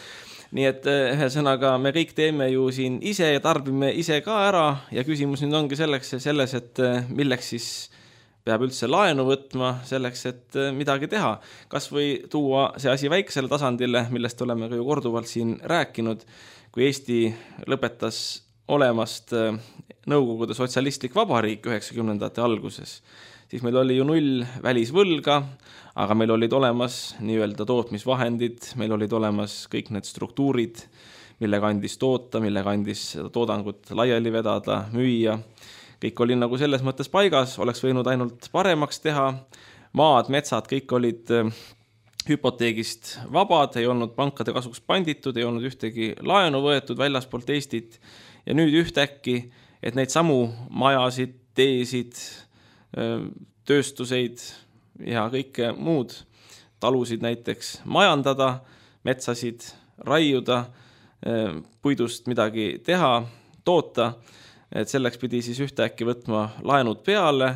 Nii et ühesõnaga me kõik teeme ju siin ise ja tarbime ise ka ära ja küsimus nüüd ongi selles, et milleks siis peab üldse laenu võtma selleks, et midagi teha. Kas või tuua see asi väiksele tasandile, millest oleme ka ju korduvalt siin rääkinud, kui Eesti lõpetas olemast Nõukogude sotsialistlik vabariik 90ndate alguses, siis meil oli ju 0 välisvõlga, aga meil olid olemas nii-öelda tootmisvahendid, meil olid olemas kõik need struktuurid, millega andis toota, millega andis toodangut laiali vedada, müüa. Kõik oli nagu selles mõttes paigas, oleks võinud ainult paremaks teha. Maad, metsad, kõik olid hüpoteegist vabad, ei olnud pankade kasuks panditud, ei olnud ühtegi laenu võetud väljaspoolt Eestit. Ja nüüd ühtäkki, et neid samu majasid, teesid, tööstuseid ja kõike muud, talusid näiteks majandada, metsasid raiuda, puidust midagi teha, toota, et selleks pidi siis ühtäkki võtma laenud peale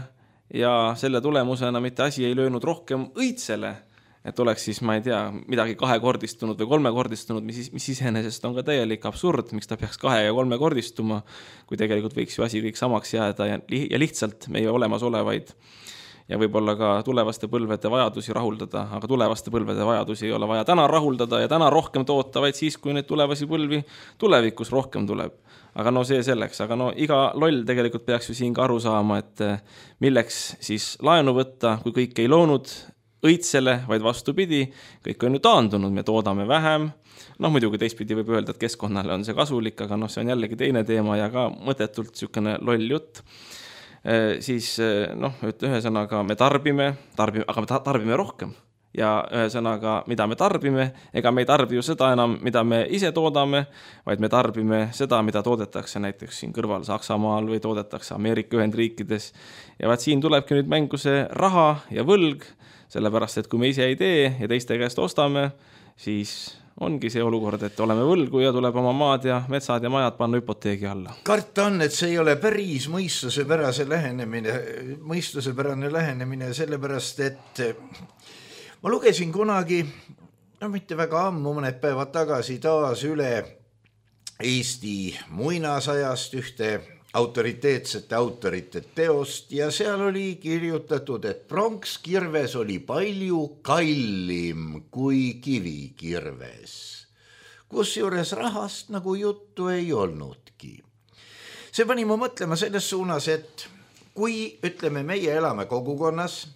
ja selle tulemusena mitte asi ei löönud rohkem õitsele, et oleks siis, ma ei tea, midagi 2-kordistunud või 3-kordistunud, mis iseenesest on ka täielik absurd, miks ta peaks 2- ja 3-kordistuma, kui tegelikult võiks ju asi kõik samaks jääda ja lihtsalt meie olemasolevaid ja võib-olla ka tulevaste põlvede vajadusi rahuldada, aga tulevaste põlvede vajadusi ei ole vaja täna rahuldada ja täna rohkem toota, vaid siis, kui neid tulevasi põlvi tulevikus rohkem tuleb. Aga no see selleks, aga no iga loll tegelikult peaks ju siin ka aru saama, et milleks siis laenu võtta, kui kõik ei loonud õitsele, vaid vastupidi, kõik on ju taandunud, me toodame vähem. Muidugi teistpidi võib öelda, et keskkonnale on see kasulik, aga see on jällegi teine teema ja ka mõtetult niisugune loll jutt. Siis ühesõnaga me tarbime, aga me tarbime rohkem. Ja ühesõnaga, mida me tarbime, ega me ei tarbi ju seda enam, mida me ise toodame, vaid me tarbime seda, mida toodetakse näiteks siin kõrval Saksamaal või toodetakse Ameerika Ühendriikides. Ja vaat siin tulebki nüüd mängu see raha ja võlg, sellepärast, et kui me ise ei tee ja teiste käest ostame, siis ongi see olukord, et oleme võlgu ja tuleb oma maad ja metsad ja majad panna hüpoteegi alla. Karta on, et see ei ole päris mõistusepärane lähenemine, sellepärast, et ma lugesin kunagi, mitte väga ammu, mõned päevad tagasi taas üle Eesti muinasajast ühte autoriteetsete autorite teost ja seal oli kirjutatud, et pronkskirves oli palju kallim kui kivikirves, kusjuures rahast nagu juttu ei olnudki. See pani mu mõtlema selles suunas, et kui ütleme, meie elame kogukonnas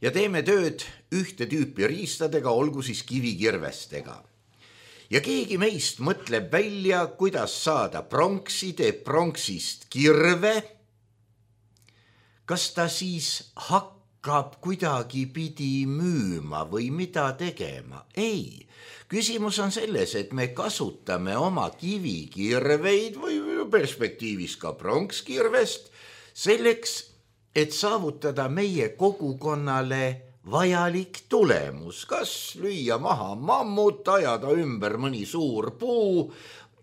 ja teeme tööd ühte tüüpi riistadega, olgu siis kivikirvestega, ja keegi meist mõtleb välja, kuidas saada pronksi, teeb pronksist kirve, kas ta siis hakkab kuidagi pidi müüma või mida tegema? Ei. Küsimus on selles, et me kasutame oma kivikirveid või perspektiivis ka pronkskirvest selleks, et saavutada meie kogukonnale vajalik tulemus, kas lüüa maha mammut, ajada ümber mõni suur puu,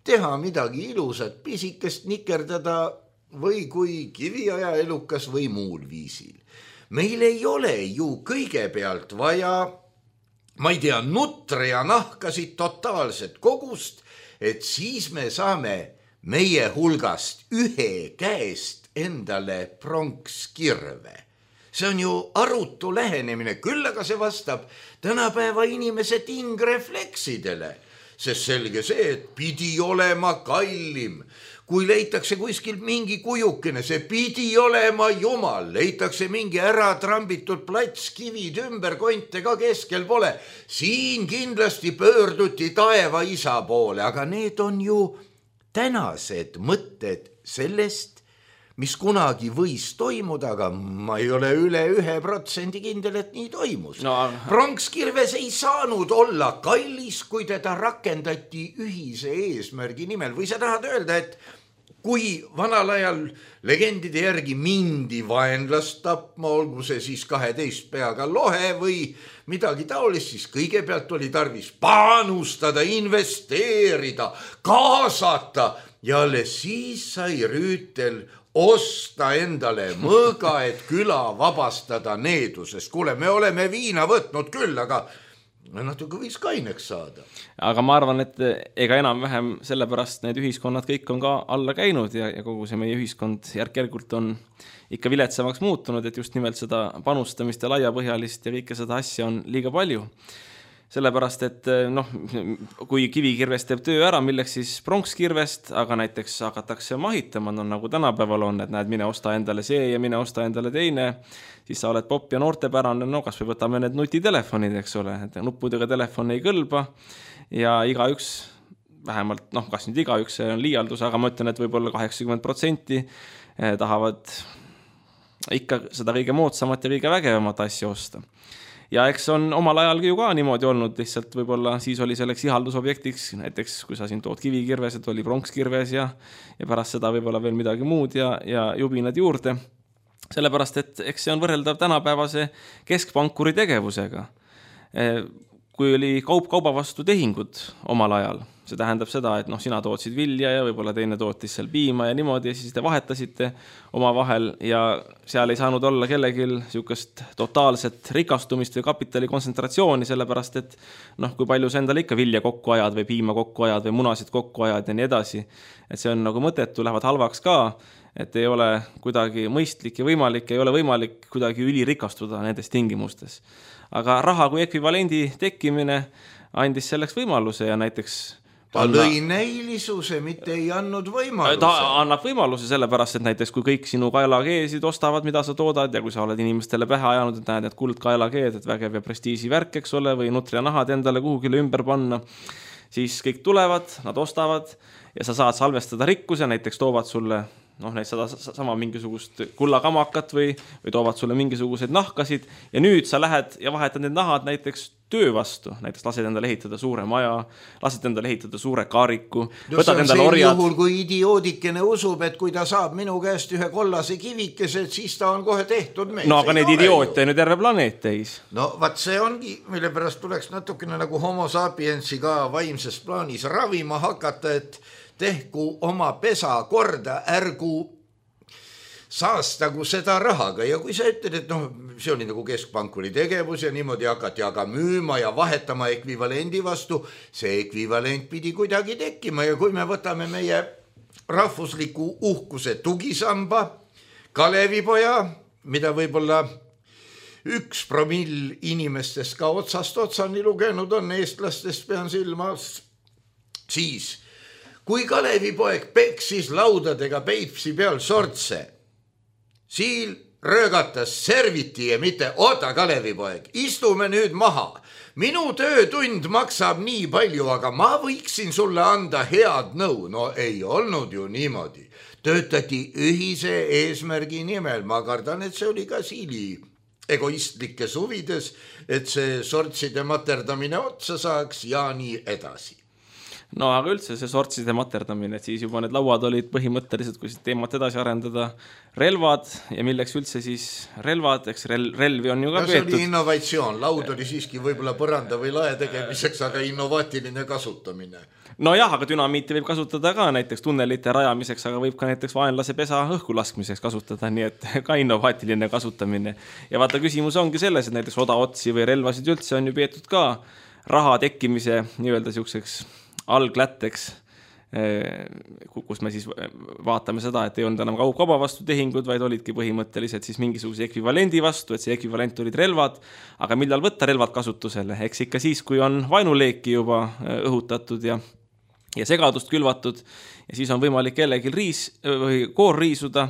teha midagi ilusat, pisikest nikerdada või kui kiviaja elukas või muul viisil. Meil ei ole ju kõigepealt vaja, ma ei tea, nutre ja nahkasid totaalset kogust, et siis me saame meie hulgast ühe käest endale pronkskirve. See on ju arutu lähenemine, küll aga see vastab tänapäeva inimese tingrefleksidele, sest selge see, et pidi olema kallim. Kui leitakse kuskil mingi kujukene, see pidi olema jumal, leitakse mingi ära trambitud plats, kivid ümber, konte ka keskel pole. Siin kindlasti pöörduti taeva isa poole, aga need on ju tänased mõtted sellest, mis kunagi võis toimuda, aga ma ei ole üle 1% kindel, et nii toimus. Pronkskirves ei saanud olla kallis, kui teda rakendati ühise eesmärgi nimel. Või sa tahad öelda, et kui vanal ajal legendide järgi mindi vaenlast tapma, olgu see siis 12 peaga lohe või midagi taolist, siis kõigepealt oli tarvis panustada, investeerida, kaasata ja alles siis sai rüütel osta endale mõõga, et küla vabastada needusest. Kuule, me oleme viina võtnud küll, aga natuke võiks kaineks saada. Aga ma arvan, et ega enam-vähem sellepärast need ühiskonnad kõik on ka alla käinud ja kogu see meie ühiskond järk-järgult on ikka viletsamaks muutunud, et just nimelt seda panustamist ja laiapõhjalist ja kõike seda asja on liiga palju. Sellepärast, et kui kivikirvest teeb töö ära, milleks siis pronkskirvest, aga näiteks hakatakse mahitama, nagu tänapäeval on, et näed, mine osta endale see ja mine osta endale teine, siis sa oled popp ja noortepärane, kas või võtame need nutitelefonid, eks ole, et nuppudega telefon ei kõlba ja igaüks, vähemalt, kas nüüd igaüks, see on liialdus, aga ma ütlen, et võib-olla 80% tahavad ikka seda kõige moodsamat ja kõige vägevamat asja osta. Ja eks on omal ajal ju ka niimoodi olnud, lihtsalt võib-olla siis oli selleks ihaldusobjektiks, näiteks kui sa siin tood kivikirves, et oli pronkskirves ja pärast seda võib-olla veel midagi muud ja jubinad juurde. Sellepärast, et eks see on võrreldav tänapäevase keskpankuri tegevusega. Kui oli kauba vastu tehingud omal ajal, see tähendab seda, et sina tootsid vilja ja võib-olla teine tootis seal piima ja niimoodi ja siis te vahetasite oma vahel ja seal ei saanud olla kellelgi niisugust totaalset rikastumist või kapitali kontsentratsiooni, sellepärast et kui palju sa endale ikka vilja kokku ajad või piima kokku ajad või munasid kokku ajad ja nii edasi, et see on nagu mõttetu, lähevad halvaks ka, et ei ole kuidagi mõistlik ja võimalik, ei ole võimalik kuidagi ülirikastuda nendes tingimustes. Aga raha kui ekvivalendi tekkimine andis selleks võimaluse ja näiteks ta lõi näilisuse, mitte ei andnud võimaluse. Ta annab võimaluse sellepärast, et näiteks kui kõik sinu kaelakeesid ostavad, mida sa toodad ja kui sa oled inimestele pähe ajanud, et näed, et kuldkaelakeed, et vägev ja prestiisi värk, eks ole, või nutrinahad endale kuhugile ümber panna, siis kõik tulevad, nad ostavad ja sa saad salvestada rikkuse, näiteks toovad sulle sama mingisugust kullakamakat või toovad sulle mingisuguseid nahkasid ja nüüd sa lähed ja vahetad need nahad näiteks töö vastu, näiteks lased endale ehitada suure maja, lased endale ehitada suure kaariku, võtad endale orjad. Juhul, kui idioodikene usub, et kui ta saab minu käest ühe kollase kivikese, siis ta on kohe tehtud meil. Aga need idioote on ju terve planeet täis. Vaat see ongi, mille pärast tuleks natukene nagu homo sapiensi ka vaimses plaanis ravima hakata, et tehku oma pesa korda, ärgu saastagu seda rahaga ja kui sa ütled, et see oli nagu keskpankuri tegevus ja niimoodi hakati aga müüma ja vahetama ekvivalendi vastu, see ekvivalent pidi kuidagi tekkima ja kui me võtame meie rahvusliku uhkuse tugisamba, Kalevipoja, mida võib-olla 1% inimestest ka otsast otsani lugenud on, eestlastest pean silmas, siis kui Kalevipoeg peksis laudadega Peipsi peal sortse, Siil röögatas serviti ja mitte oota Kalevipoeg, istume nüüd maha. Minu töötund maksab nii palju, aga ma võiksin sulle anda head nõu. Ei olnud ju niimoodi. Töötati ühise eesmärgi nimel. Ma kardan, et see oli ka Siili egoistlikes huvides, et see sortside materdamine otsa saaks ja nii edasi. Aga üldse see sortside materdamine, et siis juba need lauad olid põhimõtteliselt, kui teemat edasi arendada, relvad ja milleks üldse siis relvad, eks relvi on ju ka peetud. See oli innovatsioon, laud oli siiski võib-olla põranda või lae tegemiseks, aga innovaatiline kasutamine. Aga dünamiiti võib kasutada ka näiteks tunnelite rajamiseks, aga võib ka näiteks vaenlase pesa õhku laskmiseks kasutada, nii et ka innovaatiline kasutamine. Ja vaata, küsimus ongi selles, et näiteks odaotsi või relvasid üldse on ju peetud ka raha tekkimise nii-öelda siukseks alglätteks, kus me siis vaatame seda, et ei olnud enam kauba vastu tehingud, vaid olidki põhimõtteliselt siis mingisuguse ekvivalendi vastu, et see ekvivalent olid relvad, aga millal võtta relvad kasutusele? Eks ikka siis, kui on vaenuleeki juba õhutatud ja segadust külvatud ja siis on võimalik kellelgi koor riisuda,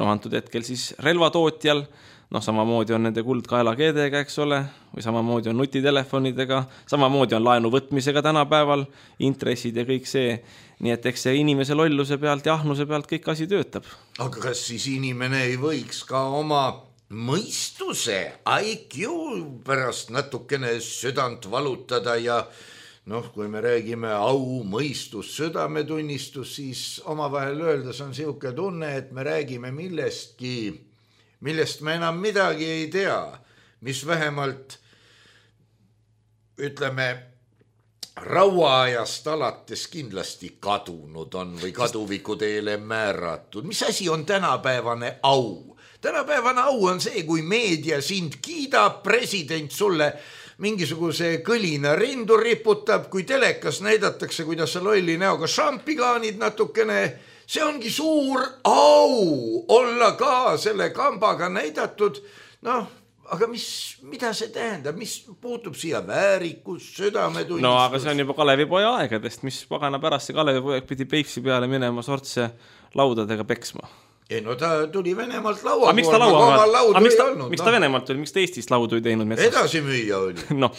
antud hetkel siis relvatootjal, samamoodi on nende kuldkaelakeedega, eks ole, või samamoodi on nutitelefonidega, samamoodi on laenu võtmisega tänapäeval, intressid ja kõik see. Nii et eks see inimese lolluse pealt ja ahnuse pealt kõik asi töötab. Aga kas siis inimene ei võiks ka oma mõistuse, IQ pärast natukene südant valutada ja kui me räägime au, mõistus, südametunnistus, siis omavahel öeldes on siuke tunne, et me räägime millestki, millest me enam midagi ei tea, mis vähemalt, ütleme, rauaajast alates kindlasti kadunud on või kaduviku teele määratud. Mis asi on tänapäevane au? Tänapäevane au on see, kui meedia sind kiidab, president sulle mingisuguse kõlina rindu riputab, kui telekas näidatakse, kuidas sa lolli näoga šampigaanid natukene, see ongi suur au olla ka selle kambaga näidatud. Noh, aga mida see tähendab, mis puutub siia väärikus, südametunnistus? No aga see on juba Kalevipoja aegadest, mis pagana pärast see Kalevipoeg pidi Peipsi peale minema sortse laudadega peksma. Ei, no ta tuli Venemaalt laua miks ta Venemaalt tuli, miks ta Eestist laudu ei teinud metsast? Edasi müüa oli. No,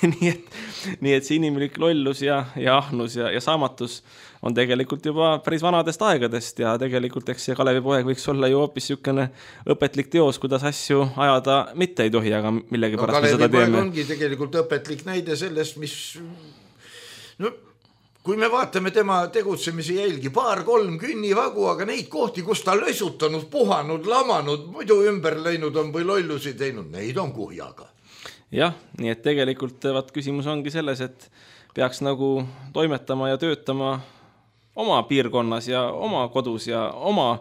nii et see inimlik lollus ja ahnus ja saamatus on tegelikult juba päris vanadest aegadest ja tegelikult eks see Kalevipoeg võiks olla ju hoopis niisugune õpetlik teos, kuidas asju ajada mitte ei tohi, aga millegi pärast me seda teeme. Kalevipoeg ongi tegelikult õpetlik näide sellest, mis... No, kui me vaatame tema tegutsemise jälgi, 2-3 künnivagu, aga neid kohti, kus ta lösutanud, puhanud, lamanud, muidu ümber läinud on või lollusi teinud, neid on kuhjaga. Jah, nii et tegelikult küsimus ongi selles, et peaks nagu toimetama ja töötama oma piirkonnas ja oma kodus ja oma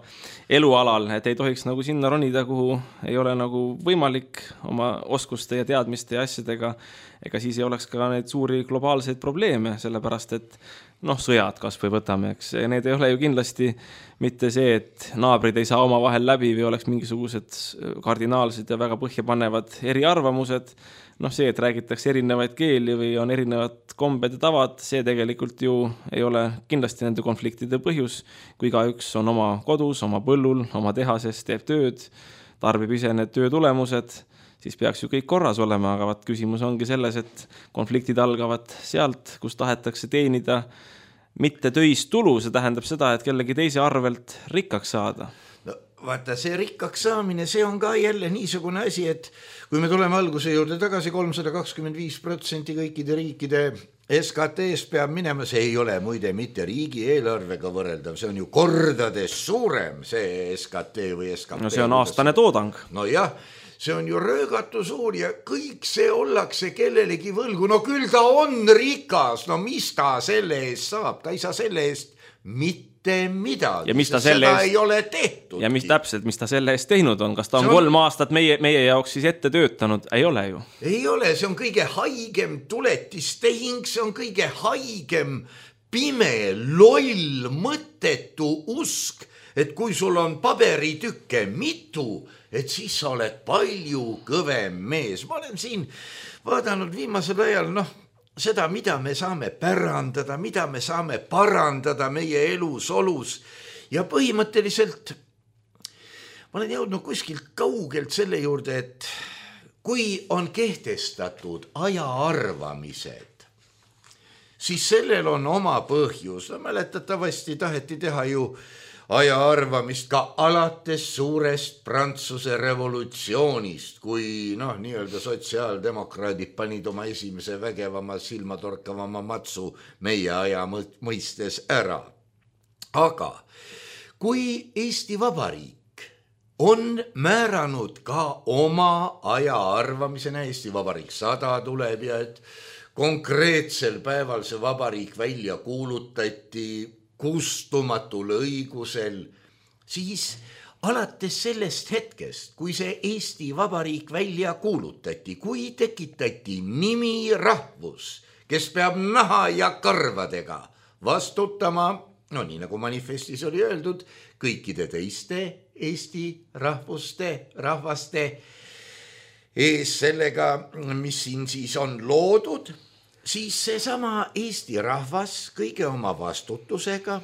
elualal, et ei tohiks nagu sinna ronida, kuhu ei ole nagu võimalik oma oskuste ja teadmiste ja asjadega, ega siis ei oleks ka neid suuri globaalseid probleeme, sellepärast et sõjad kas või võtame, eks need ei ole ju kindlasti mitte see, et naabrid ei saa oma vahel läbi või oleks mingisugused kardinaalsed ja väga põhjapanevad eriarvamused, see, et räägitakse erinevaid keeli või on erinevad kombed ja tavad, see tegelikult ju ei ole kindlasti nende konfliktide põhjus, kui igaüks on oma kodus, oma põllul, oma tehases, teeb tööd, tarbib ise need töö tulemused, siis peaks ju kõik korras olema, aga küsimus ongi selles, et konfliktid algavad sealt, kus tahetakse teenida mitte töist tulu, see tähendab seda, et kellegi teise arvelt rikkaks saada. No, vaata, see rikkaks saamine, see on ka jälle niisugune asi, et kui me tuleme alguse juurde tagasi, 325% kõikide riikide SKT-st peab minema, see ei ole muide mitte riigi eelarvega võrreldav, see on ju kordades suurem, see SKT või SKT. No see on aastane toodang. No jah, see on ju röögatu suur ja kõik see ollakse kellelegi võlgu. No küll ta on rikas, no mis ta selle eest saab? Ta ei saa selle eest mitte midagi, ja mis ta seda ei ole tehtud. Ja mis täpselt, mis ta selle eest teinud on? Kas ta on 3 aastat meie jaoks siis ette töötanud? Ei ole ju. Ei ole, see on kõige haigem tuletistehing, see on kõige haigem pime, loll, mõttetu usk, et kui sul on paberitükke mitu, et siis sa oled palju kõvem mees. Ma olen siin vaadanud viimasel ajal, seda, mida me saame pärandada, mida me saame parandada meie elus, olus. Ja põhimõtteliselt ma olen jõudnud kuskilt kaugelt selle juurde, et kui on kehtestatud ajaarvamised, siis sellel on oma põhjus. Mäletatavasti taheti teha ju ajaarvamist ka alates suurest Prantsuse revolutsioonist, kui nii-öelda sotsiaaldemokraadid panid oma esimese vägevama, silmatorkavama matsu meie aja mõistes ära. Aga kui Eesti Vabariik on määranud ka oma ajaarvamisena, Eesti Vabariik 100 tuleb ja et konkreetsel päeval see vabariik välja kuulutati kustumatul õigusel, siis alates sellest hetkest, kui see Eesti Vabariik välja kuulutati, kui tekitati nimi rahvus, kes peab naha ja karvadega vastutama, nii nagu manifestis oli öeldud, kõikide teiste Eesti rahvaste ees sellega, mis siin siis on loodud, siis seesama Eesti rahvas kõige oma vastutusega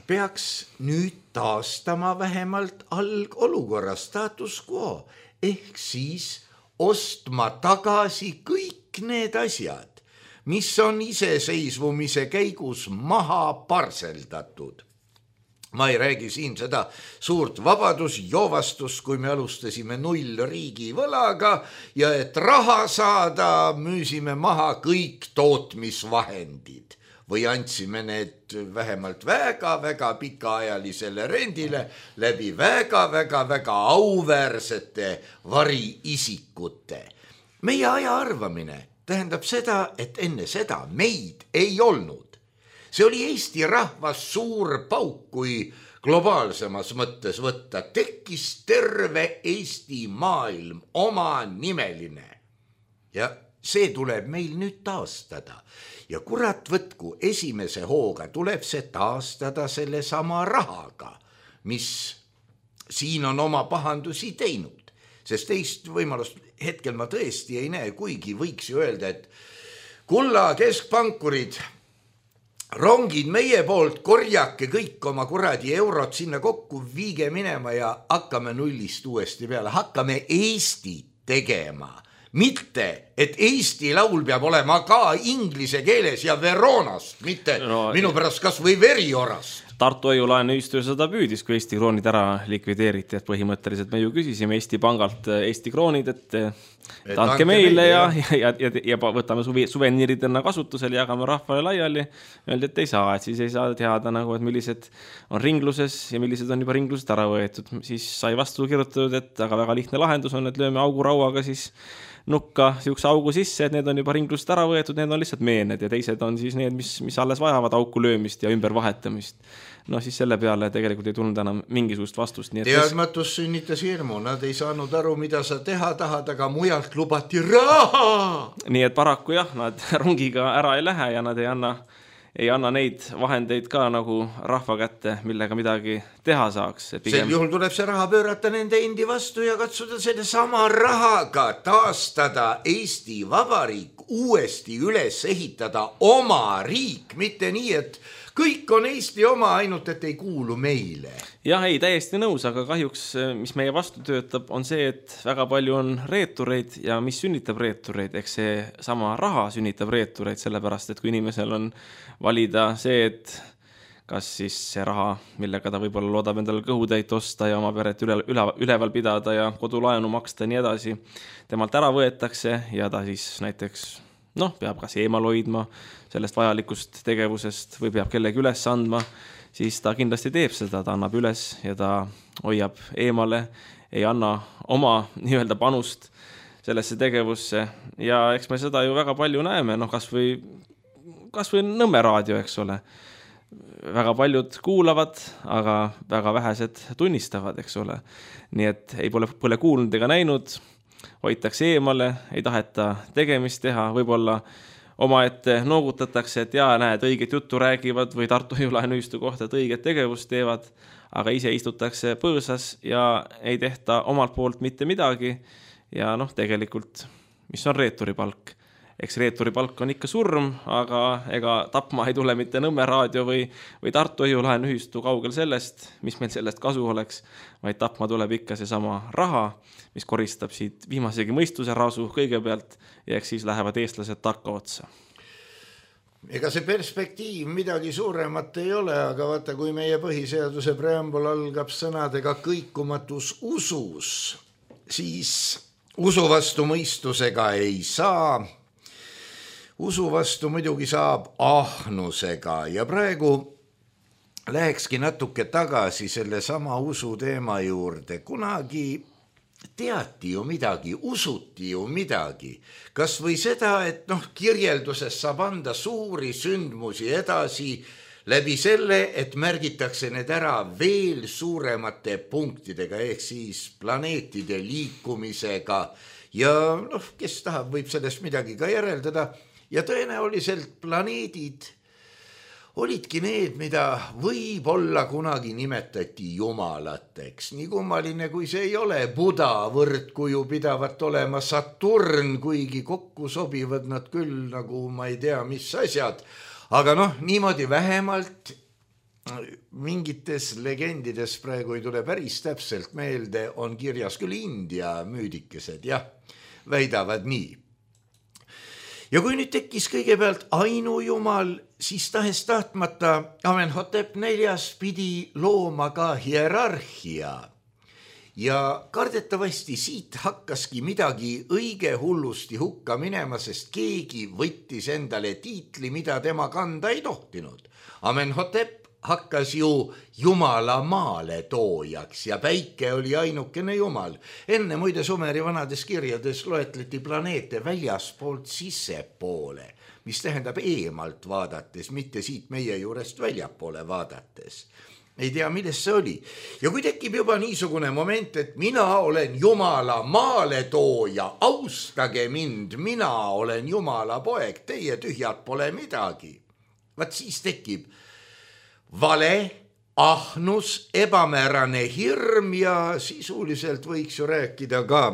peaks nüüd taastama vähemalt algolukorra status quo, ehk siis ostma tagasi kõik need asjad, mis on iseseisvumise käigus maha parseldatud. Ma ei räägi siin seda suurt vabadusjoovastust, kui me alustasime 0 riigi võlaga ja et raha saada, müüsime maha kõik tootmisvahendid või andsime need vähemalt väga-väga pikaajalisele rendile läbi väga-väga auväärsete variisikute. Meie aja arvamine tähendab seda, et enne seda meid ei olnud. See oli Eesti rahvas suur pauk, kui globaalsemas mõttes võtta. Tekkis terve Eesti maailm, oma nimeline. Ja see tuleb meil nüüd taastada. Ja kurat võtku, esimese hooga tuleb see taastada selle sama rahaga, mis siin on oma pahandusi teinud. Sest teist võimalust hetkel ma tõesti ei näe, kuigi võiks ju öelda, et kulla keskpankurid, rongid meie poolt, korjake kõik oma kuradi eurot sinna kokku, viige minema ja hakkame nullist uuesti peale. Hakkame Eestit tegema. Mitte, et Eesti laul peab olema ka inglise keeles ja Veronast, mitte minu pärast kas või Veriorast. Tartu Hoiu-laenuühistu seda püüdis, kui Eesti kroonid ära likvideeriti, et põhimõtteliselt me ju küsisime Eesti pangalt Eesti kroonid, et andke meile ja võtame suveniiridena kasutusele, jagame rahvale laiali. Öeldi, et ei saa, et siis ei saa teada, nagu, et millised on ringluses ja millised on juba ringlusest ära võetud. Siis sai vastu kirjutatud, et väga lihtne lahendus on, et lööme augurauaga siis nukka siukse augu sisse, et need on juba ringlusest ära võetud, need on lihtsalt meened ja teised on siis need, mis alles vajavad auku löömist ja ümber vahetamist. No siis selle peale tegelikult ei tulnud enam mingisugust vastust. Nii et teadmatus sünnitas hirmu, nad ei saanud aru, mida sa teha tahad, aga mujalt lubati raha. Nii et paraku jah, nad rongiga ära ei lähe ja nad ei anna neid vahendeid ka nagu rahva kätte, millega midagi teha saaks. Sel juhul tuleb see raha pöörata nende endi vastu ja katsuda selle sama rahaga taastada Eesti Vabariik, uuesti üles ehitada oma riik, mitte nii, et kõik on Eesti oma, ainult et ei kuulu meile. Jah, ei, täiesti nõus, aga kahjuks, mis meie vastu töötab, on see, et väga palju on reetureid ja mis sünnitab reetureid, eks see sama raha sünnitab reetureid, sellepärast, et kui inimesel on valida see, et kas siis see raha, millega ta võib-olla loodab endale kõhutäit osta ja oma peret üleval pidada ja kodulaenu maksta ja nii edasi, temalt ära võetakse ja ta siis näiteks peab kas eemal hoidma sellest vajalikust tegevusest või peab kellegi üles andma, siis ta kindlasti teeb seda, ta annab üles ja ta hoiab eemale, ei anna oma nii-öelda panust sellesse tegevusse ja eks me seda ju väga palju näeme, kas või Nõmme raadio, eks ole. Väga paljud kuulavad, aga väga vähesed tunnistavad, eks ole. Nii et ei pole kuulnud ega näinud, hoitakse eemale, ei taheta tegemist teha, võib-olla omaette noogutatakse, et näed, õiget juttu räägivad või Tartu Hoiu-laenuühistu kohta, et õiget tegevust teevad, aga ise istutakse põõsas ja ei tehta omalt poolt mitte midagi ja tegelikult, mis on reeturi palk? Eks reeturi palk on ikka surm, aga ega tapma ei tule mitte Nõmme raadio või Tartu Hoiu-laenuühistu kaugel sellest, mis meil sellest kasu oleks, vaid tapma tuleb ikka see sama raha, mis koristab siit viimasegi mõistuse rasu kõigepealt ja eks siis lähevad eestlased takka otsa. Ega see perspektiiv midagi suuremat ei ole, aga vaata, kui meie põhiseaduse preambul algab sõnadega kõikumatus usus, siis usu vastu mõistusega ei saa. Usu vastu muidugi saab ahnusega ja praegu lähekski natuke tagasi selle sama usu teema juurde. Kunagi teati ju midagi, usuti ju midagi. Kas või seda, et kirjelduses saab anda suuri sündmusi edasi läbi selle, et märgitakse need ära veel suuremate punktidega, ehk siis planeetide liikumisega ja kes tahab, võib sellest midagi ka järeldada. Ja tõenäoliselt planeedid olidki need, mida võib-olla kunagi nimetati jumalateks. Nii kummaline, kui see ei ole. Buda võrdkuju pidavat olema Saturn, kuigi kokku sobivad nad küll nagu ma ei tea, mis asjad. Aga niimoodi vähemalt mingites legendides praegu ei tule päris täpselt meelde, on kirjas küll India müüdikesed, väidavad nii. Ja kui nüüd tekkis kõigepealt ainujumal, siis tahes tahtmata Amenhotep 4 pidi looma ka hierarhia. Ja kardetavasti siit hakkaski midagi õige hullusti hukka minema, sest keegi võttis endale tiitli, mida tema kanda ei tohtinud. Amenhotep hakkas ju Jumala maale toojaks ja päike oli ainukene Jumal. Enne muide Sumeri vanades kirjades loetleti planeete väljaspoolt sissepoole, mis tähendab eemalt vaadates, mitte siit meie juurest väljapoole vaadates. Ei tea, milles see oli. Ja kui tekib juba niisugune moment, et mina olen Jumala maale tooja, austage mind, mina olen Jumala poeg, teie tühjad pole midagi. Vaat siis tekib vale, ahnus, ebamäärane hirm ja sisuliselt võiks ju rääkida ka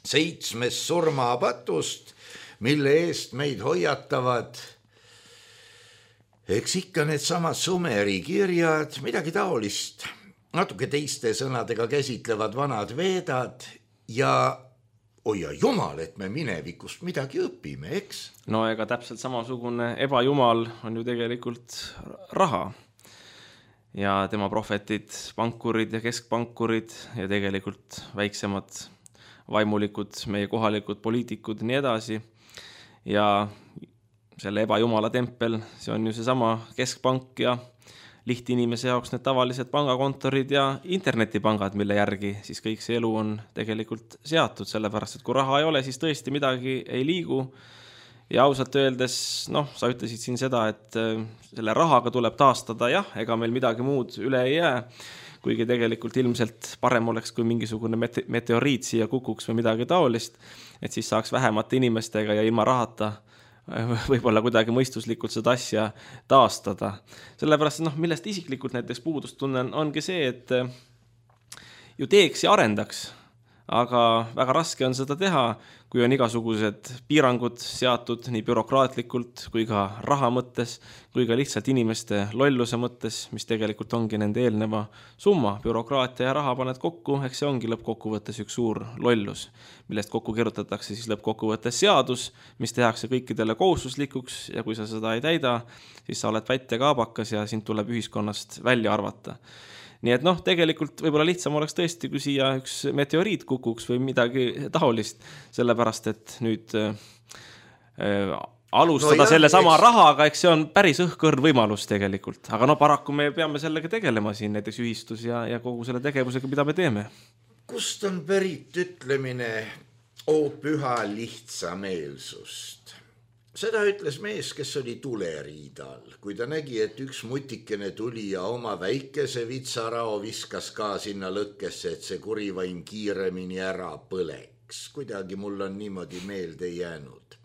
7 surmapatust, mille eest meid hoiatavad eks ikka need samad Sumeri kirjad, midagi taolist, natuke teiste sõnadega käsitlevad vanad veedad ja oia jumal, et me minevikust midagi õpime, eks? No ega täpselt samasugune ebajumal on ju tegelikult raha ja tema prohvetid, pankurid ja keskpankurid ja tegelikult väiksemad vaimulikud, meie kohalikud poliitikud ja nii edasi ja selle ebajumala tempel, see on ju seesama keskpank ja lihtinimese jaoks need tavalised pangakontorid ja internetipangad, mille järgi siis kõik see elu on tegelikult seatud, sellepärast, et kui raha ei ole, siis tõesti midagi ei liigu ja ausalt öeldes, sa ütlesid siin seda, et selle rahaga tuleb taastada, jah, ega meil midagi muud üle ei jää, kuigi tegelikult ilmselt parem oleks, kui mingisugune meteoriit siia kukuks või midagi taolist, et siis saaks vähemate inimestega ja ilma rahata võib-olla kuidagi mõistuslikult seda asja taastada. Sellepärast, millest isiklikult näiteks puudust tunnen, ongi see, et ju teeks ja arendaks, aga väga raske on seda teha, kui on igasugused piirangud seatud nii bürokraatlikult kui ka raha mõttes, kui ka lihtsalt inimeste lolluse mõttes, mis tegelikult ongi nende eelneva summa. Bürokraatia ja raha paned kokku, eks see ongi lõppkokkuvõttes üks suur lollus, millest kokku kirjutatakse siis lõppkokkuvõttes seadus, mis tehakse kõikidele kohustuslikuks ja kui sa seda ei täida, siis sa oled vätt ja kaabakas ja sind tuleb ühiskonnast välja arvata. Nii et tegelikult võib-olla lihtsam oleks tõesti, kui siia üks meteoriit kukuks või midagi taolist, sellepärast, et nüüd alustada selle sama rahaga, eks see on päris õhkõrn võimalus tegelikult. Aga paraku me peame sellega tegelema siin näiteks ühistus ja kogu selle tegevusega, mida me teeme. Kust on pärit ütlemine o püha lihtsameelsust? Seda ütles mees, kes oli tuleriidal, kui ta nägi, et üks mutikene tuli ja oma väikese vitsarao viskas ka sinna lõkkesse, et see kurivaim kiiremini ära põleks. Kuidagi mul on niimoodi meelde jäänud.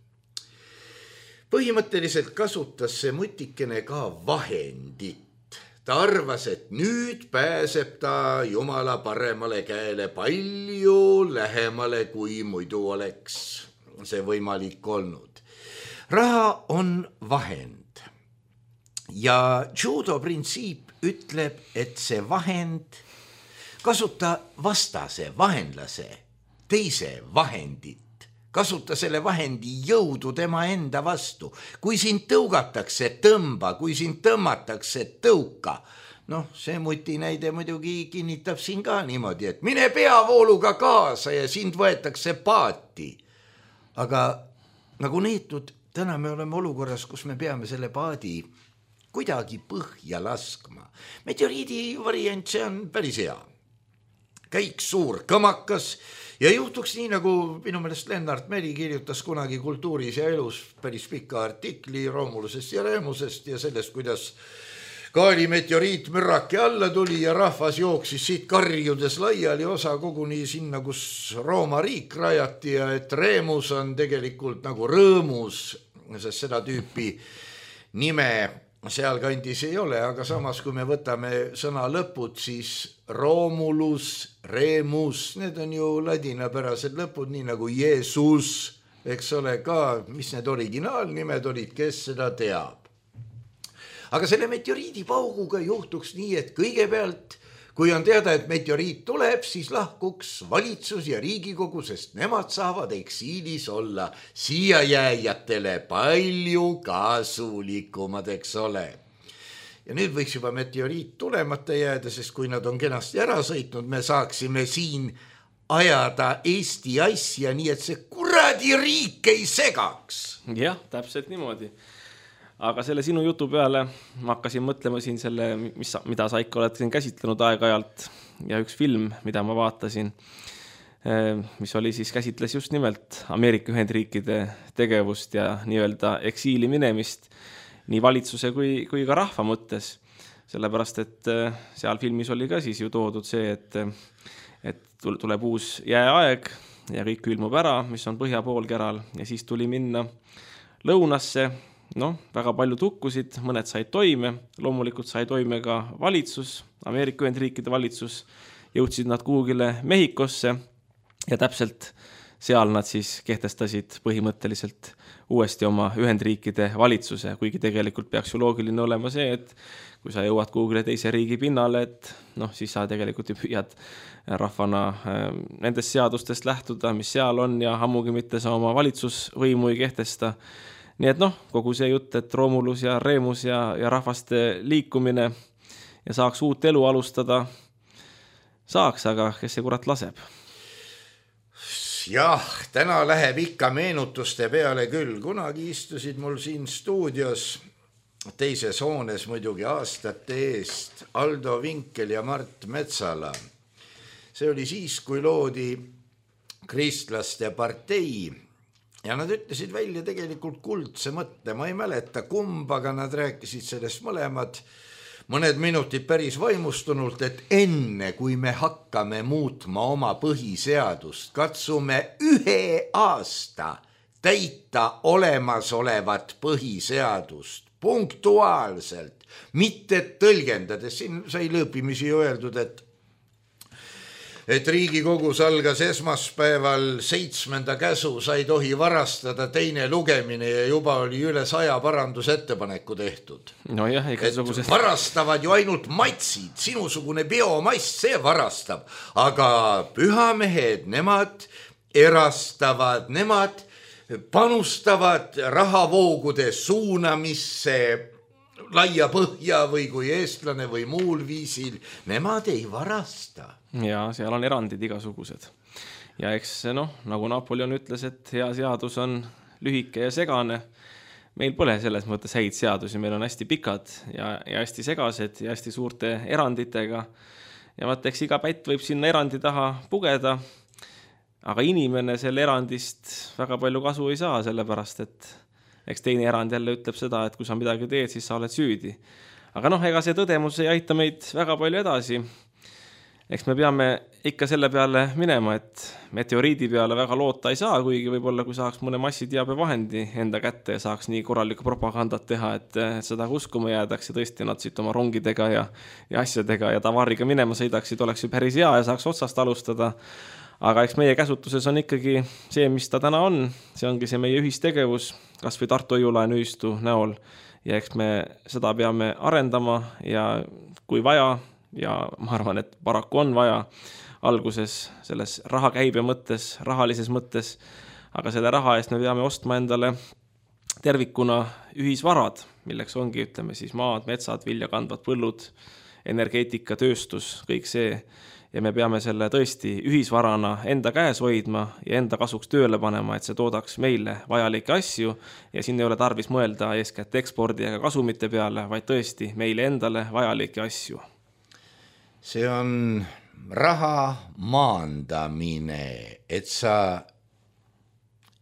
Põhimõtteliselt kasutas see mutikene ka vahendit. Ta arvas, et nüüd pääseb ta Jumala paremale käele palju lähemale, kui muidu oleks see võimalik olnud. Raha on vahend ja judo printsiip ütleb, et see vahend kasuta vastase, vahenlase, teise vahendit, kasuta selle vahendi jõudu tema enda vastu. Kui sind tõugatakse, tõmba, kui sind tõmmatakse, tõuka. See muti näide muidugi kinnitab siin ka niimoodi, et mine peavooluga kaasa ja sind võetakse paati. Aga nagu neetud, täna me oleme olukorras, kus me peame selle paadi kuidagi põhja laskma. Meteoriidi variant, see on päris hea. Käiks suur kõmakas ja juhtuks nii, nagu minu meelest Lennart Meri kirjutas kunagi Kultuuris ja elus päris pika artikli Romulusest ja Remusest ja sellest, kuidas Kaali meteoriit mürrake alla tuli ja rahvas jooksis siit karjudes laiali, osa koguni sinna, kus Rooma riik rajati ja et Remus on tegelikult nagu rõõmus, sest seda tüüpi nime seal kandis ei ole, aga samas kui me võtame sõna lõpud, siis Romulus, Remus, need on ju ladinapärased lõpud, nii nagu Jeesus, eks ole ka, mis need originaalnimed olid, kes seda teab. Aga selle meteoriidi pauguga juhtuks nii, et kõigepealt, kui on teada, et meteoriit tuleb, siis lahkuks valitsus ja Riigikogu, sest nemad saavad eksiilis olla siia jääjatele palju kasulikumad, eks ole. Ja nüüd võiks juba meteoriit tulemata jääda, sest kui nad on kenasti ära sõitnud, me saaksime siin ajada Eesti asja nii, et see kuradi riik ei segaks. Jah, täpselt niimoodi. aga selle sinu jutu peale ma hakkasin mõtlema siin selle, mida sa ikka oled siin käsitlenud aeg-ajalt ja üks film, mida ma vaatasin, mis oli siis käsitles just nimelt Ameerika Ühendriikide tegevust ja nii-öelda eksiili minemist nii valitsuse kui ka rahva mõttes. Sellepärast, et seal filmis oli ka siis ju toodud see, et tuleb uus jääaeg ja kõik külmub ära, mis on põhja poolkeral ja siis tuli minna lõunasse, väga palju tukkusid, mõned said toime, loomulikult sai toime ka valitsus, Ameerika Ühendriikide valitsus, jõudsid nad kuhugile Mehhikosse ja täpselt seal nad siis kehtestasid põhimõtteliselt uuesti oma Ühendriikide valitsuse, kuigi tegelikult peaks ju loogiline olema see, et kui sa jõuad kuhugile teise riigi pinnale, et siis sa tegelikult ju püüad rahvana nendest seadustest lähtuda, mis seal on ja ammugi mitte sa oma valitsusvõimu ei kehtesta. Nii et kogu see jutt, et Romulus ja Remus ja rahvaste liikumine ja saaks uut elu alustada, saaks, aga kes see kurat laseb? Jah, täna läheb ikka meenutuste peale küll. Kunagi istusid mul siin stuudios teises hoones muidugi aastate eest Aldo Vinkel ja Mart Metsala. See oli siis, kui loodi kristlaste partei ja nad ütlesid välja tegelikult kuldse mõtte. Ma ei mäleta kumba, aga nad rääkisid sellest mõlemad mõned minutid päris vaimustunult, et enne kui me hakkame muutma oma põhiseadust, katsume 1 aasta täita olemasolevat põhiseadust punktuaalselt, mitte tõlgendades. Siin sai lõõpimisi öeldud, et Riigikogus algas esmaspäeval 7. käsu, sa ei tohi varastada 2. lugemine ja juba oli üle 100 parandusettepaneku tehtud. Nojah, igasugusest. Varastavad ju ainult matsid, sinusugune biomass, see varastab, aga pühamehed, nemad erastavad, nemad panustavad rahavoogude suunamisse laia põhja või kui eestlane või muul viisil, nemad ei varasta. Ja seal on erandid igasugused. Ja eks nagu Napoleon ütles, et hea seadus on lühike ja segane. Meil pole selles mõttes häid seadusi, meil on hästi pikad ja hästi segased ja hästi suurte eranditega. Ja eks iga pätt võib sinna erandi taha pugeda, aga inimene selle erandist väga palju kasu ei saa, sellepärast, et eks teine erand jälle ütleb seda, et kui sa midagi teed, siis sa oled süüdi. Aga ega see tõdemus ei aita meid väga palju edasi. Eks me peame ikka selle peale minema, et meteoriidi peale väga loota ei saa, kuigi võib-olla kui saaks mõne massiteabevahendi enda kätte ja saaks nii korralikku propagandat teha, et seda uskuma jäädaks ja tõesti nad siit oma rongidega ja asjadega ja tavariga minema sõidaksid, oleks ju päris hea ja saaks otsast alustada. Aga eks meie käsutuses on ikkagi see, mis ta täna on, see ongi see meie ühistegevus, kas või Tartu Õiulaenuühistu näol ja eks me seda peame arendama ja kui vaja, ja ma arvan, et paraku on vaja alguses selles rahakäibe mõttes, rahalises mõttes, aga selle raha eest me peame ostma endale tervikuna ühisvarad, milleks ongi, ütleme siis maad, metsad, viljakandvad põllud, energeetika, tööstus, kõik see. Ja me peame selle tõesti ühisvarana enda käes hoidma ja enda kasuks tööle panema, et see toodaks meile vajalikke asju ja siin ei ole tarvis mõelda eeskätt ekspordi ega kasumite peale, vaid tõesti meile endale vajalikke asju. See on raha maandamine, et sa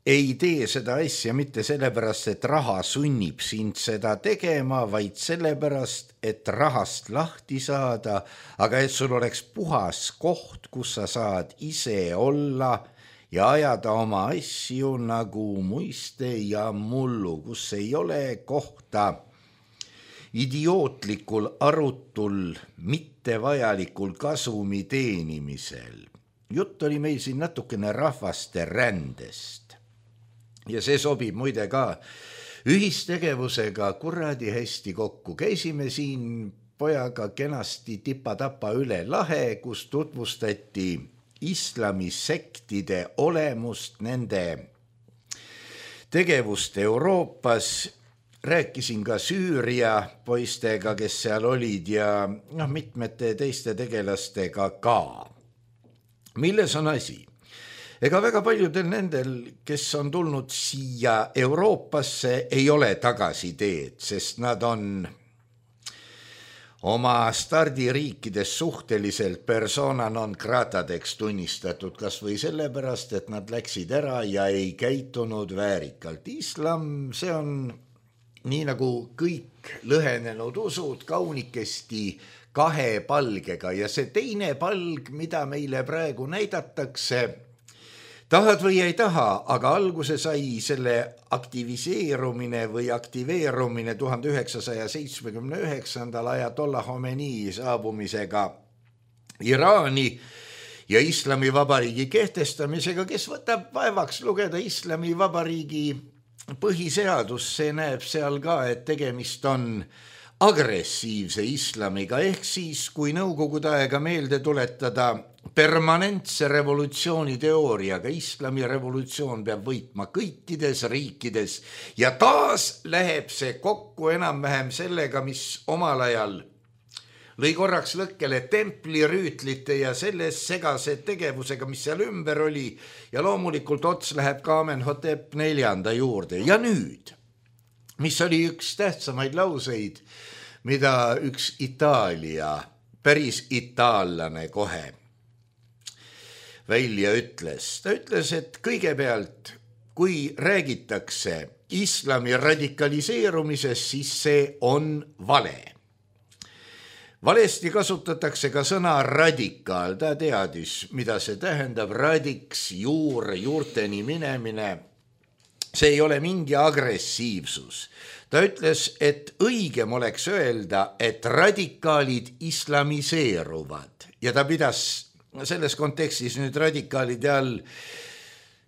ei tee seda asja mitte sellepärast, et raha sunnib sind seda tegema, vaid sellepärast, et rahast lahti saada, aga et sul oleks puhas koht, kus sa saad ise olla ja ajada oma asju nagu muiste ja mullu, kus ei ole kohta idiootlikul arutul, mittevajalikul kasumi teenimisel. Jutt oli meil siin natukene rahvaste rändest. Ja see sobib muide ka ühistegevusega kuradi hästi kokku. Käisime siin pojaga kenasti tipa-tapa üle lahe, kus tutvustati islamisektide olemust, nende tegevust Euroopas. Rääkisin ka Süüria poistega, kes seal olid ja mitmete teiste tegelastega ka. Milles on asi? ega väga paljudel nendel, kes on tulnud siia Euroopasse, ei ole tagasiteed, sest nad on oma stardiriikides suhteliselt persona non gratadeks tunnistatud, kas või sellepärast, et nad läksid ära ja ei käitunud väärikalt. Islam, see on nii nagu kõik lõhenenud usud, kaunikesti kahe palgega ja see teine palg, mida meile praegu näidatakse, tahad või ei taha, aga alguse sai selle aktiviseerumine või aktiveerumine 1979. ajatollah Khomeini saabumisega Iraani ja Islamivabariigi kehtestamisega, kes võtab vaevaks lugeda Islamivabariigi põhiseadus, see näeb seal ka, et tegemist on agressiivse islamiga, ehk siis, kui Nõukogude aega meelde tuletada, permanentse revolutsiooni teooriaga, islami revolutsioon peab võitma kõikides riikides ja taas läheb see kokku enam-vähem sellega, mis omal ajal lõi korraks lõkkele templirüütlite ja selles segase tegevusega, mis seal ümber oli ja loomulikult ots läheb ka Amenhotep 4. juurde. Ja nüüd, mis oli üks tähtsamaid lauseid, mida üks Itaalia, päris itaallane kohe välja ütles. Ta ütles, et kõigepealt, kui räägitakse islami radikaliseerumisest, siis see on vale. Valesti kasutatakse ka sõna radikaal. Ta teadis, mida see tähendab. Radiks, juurteni minemine. See ei ole mingi agressiivsus. Ta ütles, et õigem oleks öelda, et radikaalid islamiseeruvad. Ja ta pidas selles kontekstis nüüd radikaalide all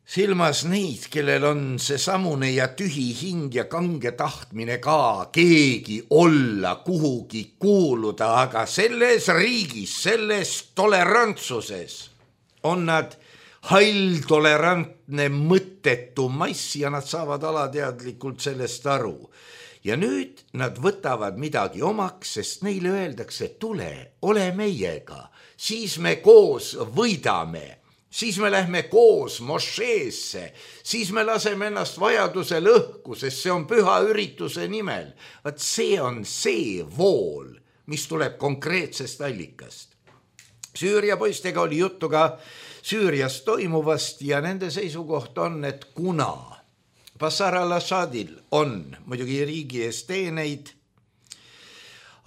silmas neid, kellel on see samune ja tühi hing ja kange tahtmine ka keegi olla, kuhugi kuuluda, aga selles riigis, selles tolerantsuses on nad hall, tolerantne, mõttetu mass ja nad saavad alateadlikult sellest aru. Ja nüüd nad võtavad midagi omaks, sest neile öeldakse, tule, ole meiega, siis me koos võidame, siis me lähme koos mošeesse, siis me laseme ennast vajadusel õhku, sest see on püha ürituse nimel. Vaat see on see vool, mis tuleb konkreetsest allikast. Süüria poistega oli juttu ka Süürias toimuvast ja nende seisukoht on, et kuna Bashar al-Assadil on muidugi riigi ees teeneid,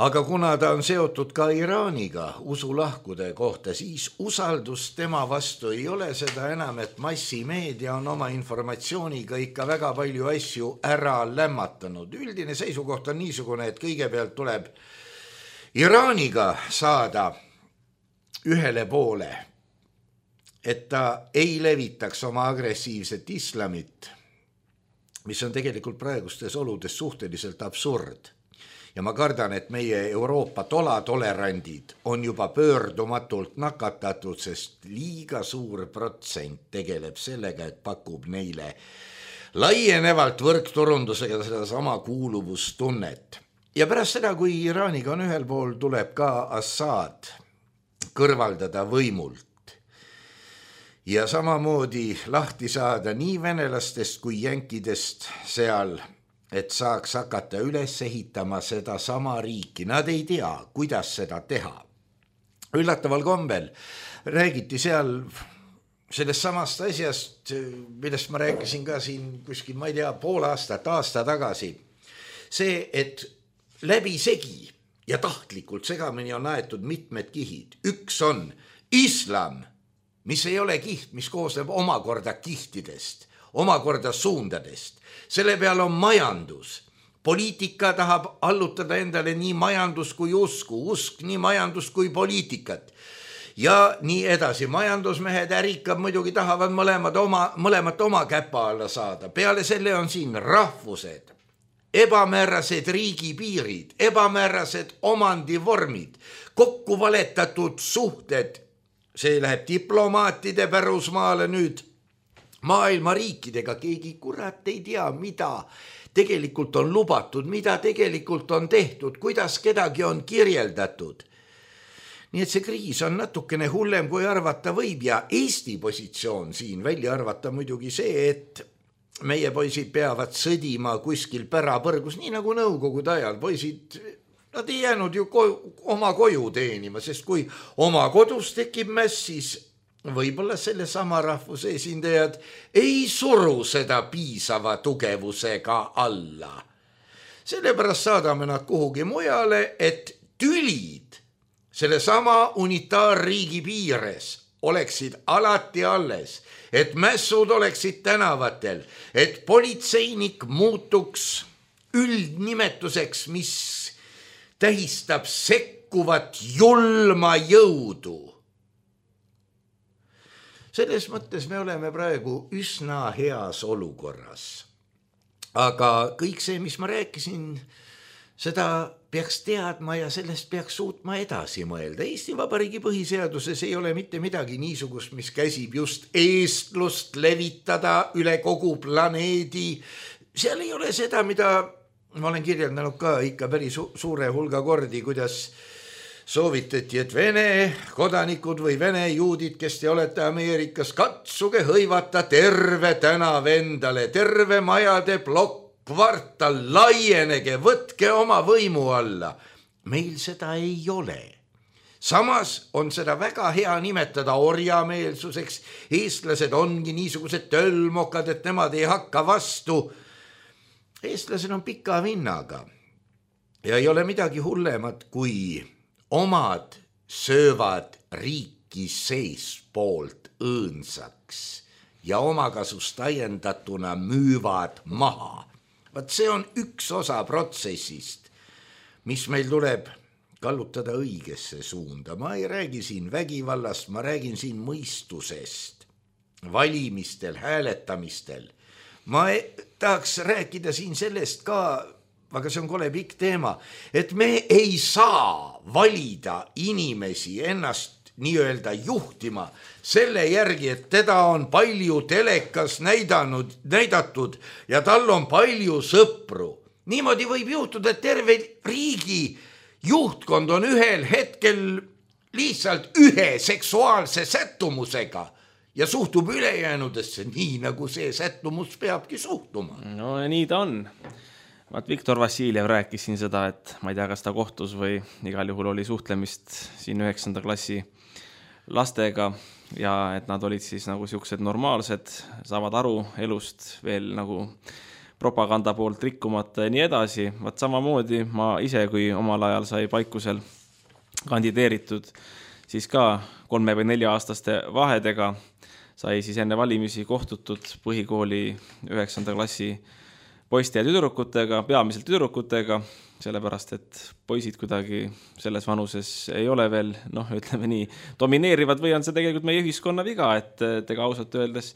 aga kuna ta on seotud ka Iraaniga usulahkude kohta, siis usaldus tema vastu ei ole, seda enam, et massimeedia on oma informatsiooniga ikka väga palju asju ära lämmatanud. Üldine seisukoht on niisugune, et kõigepealt tuleb Iraaniga saada ühele poole, et ta ei levitaks oma agressiivset islamit, mis on tegelikult praegustes oludes suhteliselt absurd. Ja ma kardan, et meie Euroopa tolatolerandid on juba pöördumatult nakatatud, sest liiga suur protsent tegeleb sellega, et pakub neile laienevalt võrkturundusega seda sama kuuluvustunnet. Ja pärast seda, kui Iraaniga on ühel pool, tuleb ka Assad kõrvaldada võimult. Ja samamoodi lahti saada nii venelastest kui jänkidest seal, et saaks hakata üles ehitama seda sama riiki. Nad ei tea, kuidas seda teha. Üllataval kombel räägiti seal sellest samast asjast, millest ma rääkisin ka siin kuskil, ma ei tea, pool aastat, aasta tagasi. See, et läbi segi ja tahtlikult segamini on aetud mitmed kihid. Üks on islam, mis ei ole kiht, mis koosneb omakorda kihtidest, omakorda suundadest. Selle peal on majandus. Poliitika tahab allutada endale nii majandus kui usku, usk nii majandus kui poliitikat. Ja nii edasi. Majandusmehed, ärikad muidugi tahavad mõlemat oma käpa alla saada. Peale selle on siin rahvused, ebamäärased riigipiirid, ebamäärased omandivormid, kokku valetatud suhted. See läheb diplomaatide pärusmaale nüüd maailma riikidega. Keegi kurat ei tea, mida tegelikult on lubatud, mida tegelikult on tehtud, kuidas kedagi on kirjeldatud. Nii et see kriis on natukene hullem, kui arvata võib ja Eesti positsioon siin välja arvata muidugi see, et meie poisid peavad sõdima kuskil pärapõrgus, nii nagu nõukogude ajal. Poisid, nad ei jäänud ju oma koju teenima, sest kui oma kodus tekib mäss, siis võib-olla selle sama rahvuse esindajad ei suru seda piisava tugevusega alla. Sellepärast saadame nad kuhugi mujale, et tülid selle sama unitaarriigi piires oleksid alati alles, et mässud oleksid tänavatel, et politseinik muutuks üldnimetuseks, mis tähistab sekkuvat julma jõudu. Selles mõttes me oleme praegu üsna heas olukorras. Aga kõik see, mis ma rääkisin, seda peaks teadma ja sellest peaks suutma edasi mõelda. Eesti Vabariigi põhiseaduses ei ole mitte midagi niisugust, mis käsib just eestlust levitada üle kogu planeedi. Seal ei ole seda, mida ma olen kirjeldanud ka ikka päris suure hulga kordi, kuidas soovitati, et Vene kodanikud või Vene juudid, kes te olete Ameerikas, katsuge hõivata terve tänav endale, terve majade plokk, kvartal, laienege, võtke oma võimu alla. Meil seda ei ole. Samas on seda väga hea nimetada orjameelsuseks. Eestlased ongi niisugused tölmokad, et nemad ei hakka vastu. Eestlased on pika vinnaga ja ei ole midagi hullemat, kui omad söövad riiki seespoolt õõnsaks ja omakasust ajendatuna müüvad maha. Vaat see on üks osa protsessist, mis meil tuleb kallutada õigesse suunda. Ma ei räägi siin vägivallast, ma räägin siin mõistusest, valimistel, hääletamistel. Ma tahaks rääkida siin sellest ka, aga see on kole pikk teema, et me ei saa valida inimesi ennast nii-öelda juhtima selle järgi, et teda on palju telekas näidatud ja tal on palju sõpru. Niimoodi võib juhtuda, et terve riigi juhtkond on ühel hetkel lihtsalt ühe seksuaalse sättumusega ja suhtub ülejäänudesse nii, nagu see sättumus peabki suhtuma. No ja nii ta on. Viktor Vassiljev rääkis siin seda, et ma ei tea, kas ta kohtus või igal juhul oli suhtlemist siin 9. klassi lastega ja et nad olid siis nagu siuksed normaalsed, saavad aru elust veel nagu propaganda poolt rikkumata ja nii edasi. Vaat samamoodi ma ise, kui omal ajal sai Paikusel kandideeritud, siis ka 3 või 4 aastaste vahedega sai siis enne valimisi kohtutud põhikooli 9. klassi poiste ja tüdrukutega, peamiselt tüdrukutega, sellepärast, et poisid kuidagi selles vanuses ei ole veel, ütleme nii, domineerivad või on see tegelikult meie ühiskonna viga, et ega ausalt öeldes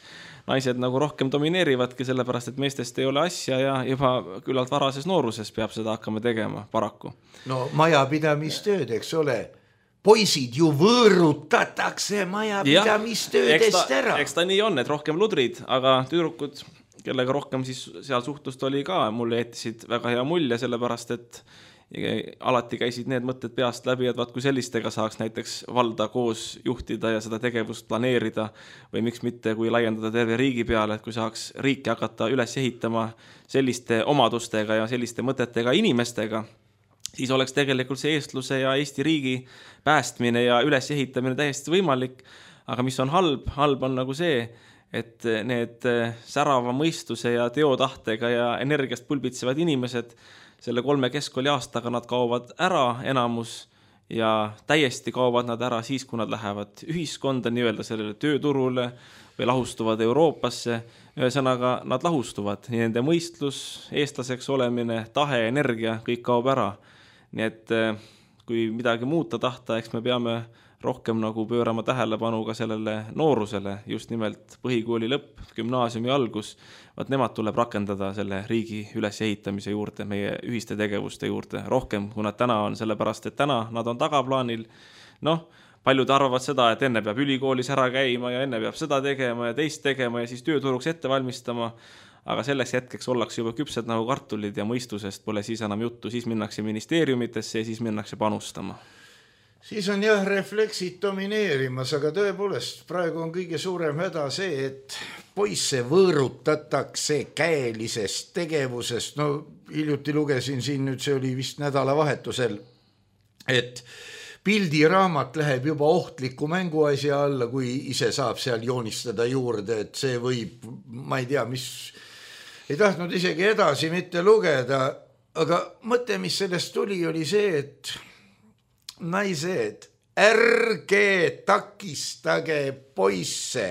naised nagu rohkem domineerivadki, sellepärast, et meestest ei ole asja ja juba küllalt varases nooruses peab seda hakkama tegema, paraku. No majapidamistööd, eks ole, poisid ju võõrutatakse majapidamistöödest ära. Eks ta nii on, et rohkem ludrid, aga tüdrukud, kellega rohkem siis seal suhtlust oli ka, mulle jättisid väga hea mulje, sellepärast, et alati käisid need mõtted peast läbi, et vaat kui sellistega saaks näiteks valda koos juhtida ja seda tegevust planeerida või miks mitte, kui laiendada terve riigi peale, et kui saaks riiki hakata üles ehitama selliste omadustega ja selliste mõtetega inimestega, siis oleks tegelikult see eestluse ja Eesti riigi päästmine ja üles ehitamine täiesti võimalik, aga mis on halb on nagu see, et need särava mõistuse ja teotahtega ja energiast pulbitsevad inimesed, selle 3 keskkooli aastaga nad kaovad ära enamus ja täiesti kaovad nad ära siis, kui nad lähevad ühiskonda, nii-öelda sellele tööturule või lahustuvad Euroopasse. Ühesõnaga, nad lahustuvad, nii nende mõistlus, eestlaseks olemine, tahe, energia, kõik kaob ära. Nii et kui midagi muuta tahta, eks me peame rohkem nagu pöörama tähelepanu ka sellele noorusele, just nimelt põhikooli lõpp, gümnaasiumi algus, vaat nemad tuleb rakendada selle riigi ülesehitamise juurde, meie ühiste tegevuste juurde rohkem, kui nad täna on, sellepärast, et täna nad on tagaplaanil. Paljud arvavad seda, et enne peab ülikoolis ära käima ja enne peab seda tegema ja teist tegema ja siis tööturuks ette valmistama, aga selleks hetkeks ollakse juba küpsed nagu kartulid ja mõistusest pole siis enam juttu, siis minnakse ministeeriumitesse ja siis minnakse panustama. Siis on jah refleksid domineerimas, aga tõepoolest praegu on kõige suurem häda see, et poisse võõrutatakse käelisest tegevusest. No hiljuti lugesin siin nüüd, see oli vist nädalavahetusel, et pildiraamat läheb juba ohtliku mänguasja alla, kui ise saab seal joonistada juurde, et see võib, ma ei tea, mis, ei tahtnud isegi edasi mitte lugeda, aga mõte, mis sellest tuli, oli see, et naised, ärge takistage poisse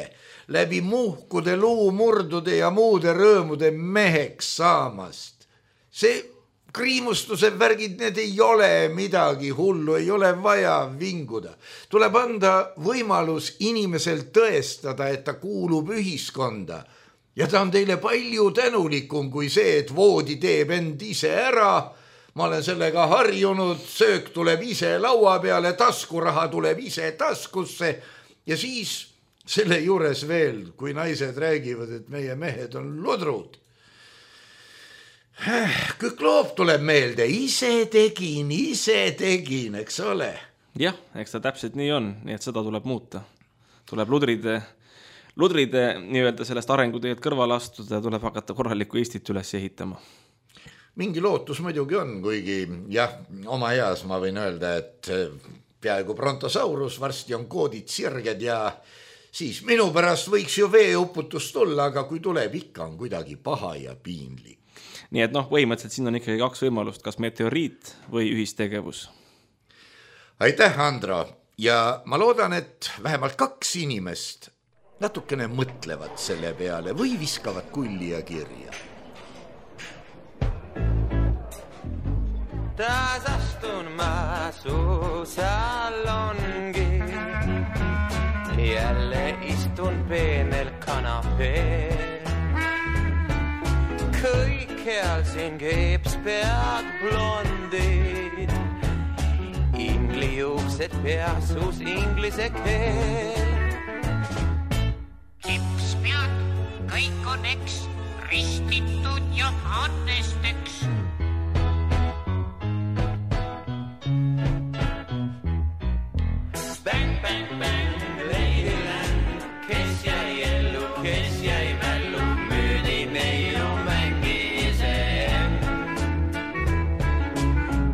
läbi muhkude, luumurdude ja muude rõõmude meheks saamast. See kriimustuse värgid, need ei ole midagi hullu, ei ole vaja vinguda. Tuleb anda võimalus inimesel tõestada, et ta kuulub ühiskonda. Ja ta on teile palju tänulikum kui see, et voodi teeb end ise ära. Ma olen sellega harjunud, söök tuleb ise laua peale, taskuraha tuleb ise taskusse ja siis selle juures veel, kui naised räägivad, et meie mehed on ludrud. Kõik loob tuleb meelde, ise tegin, eks ole. Jah, eks ta täpselt nii on, nii et seda tuleb muuta. Tuleb ludride nii-öelda sellest arenguteed kõrval astuda ja tuleb hakata korralikku Eestit üles ehitama. Mingi lootus muidugi on, kuigi jah, oma eas ma võin öelda, et peaaegu brontosaurus, varsti on koodid sirged ja siis minu pärast võiks ju veeuputus tulla, aga kui tuleb, ikka on kuidagi paha ja piinlik. Nii et põhimõtteliselt siin on ikkagi 2 võimalust, kas meteoriit või ühistegevus. Aitäh, Andro, ja ma loodan, et vähemalt 2 inimest natukene mõtlevad selle peale või viskavad kulli ja kirja. Taas astun ma su salongi, jälle istun peenel kanapeel. Kõikjal siin keepspead blondid, inglijuuksed peasus inglise keel. Keepspead, kõik on eks, ristitud Johannesteks. Bang, bang, bang, Ladyland, kes jäi ellu, kes jäi mällu, müüdi neiu mängise end.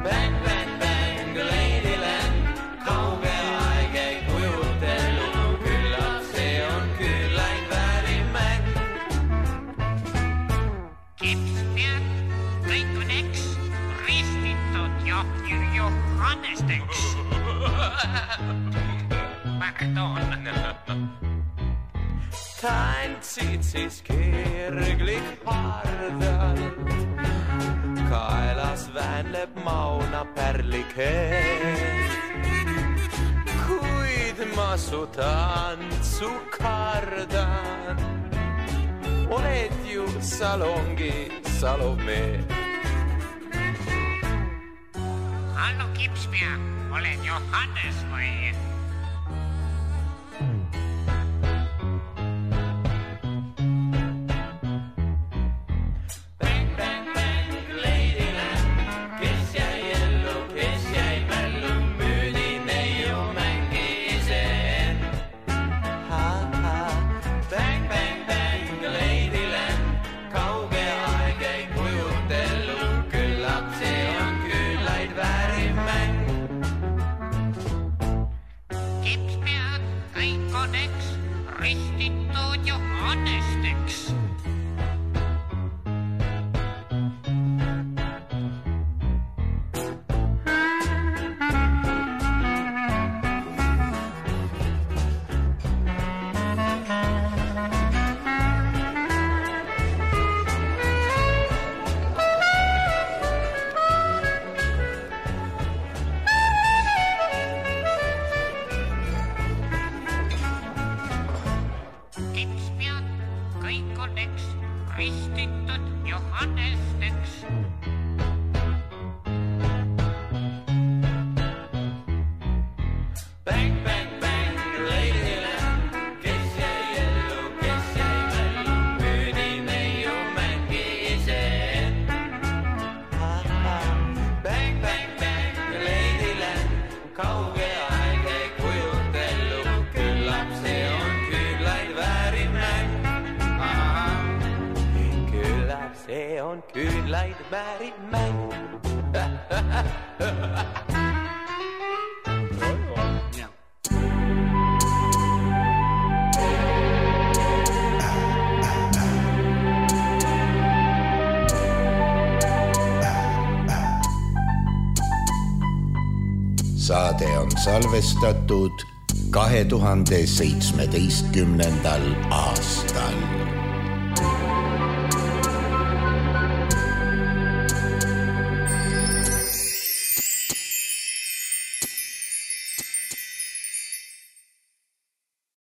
Bang, bang, bang, Ladyland, kauge aeg ei kujutelu, küllap see on küllaid väärimäng. Keepspead, kõik on eks, ristitud Johannesteks. Tantsid siis kirglik hardalt, kaelas väänleb mauna pärlikeel. Kuid ma su tantsu kardan, oled ju salongi Salome. Hallo Keepspead, olen Johannes või? Ristitud Johannesteks. Ristitud Johannesteks. Bang, bang, bang, Ladyland, kes jäi ellu, kes jäi mällu, müüdi neiu mängise end. Bang, bang, bang, Ladyland, kauge on küünlaid vääriv mäng. Saade on salvestatud 2017. aastal.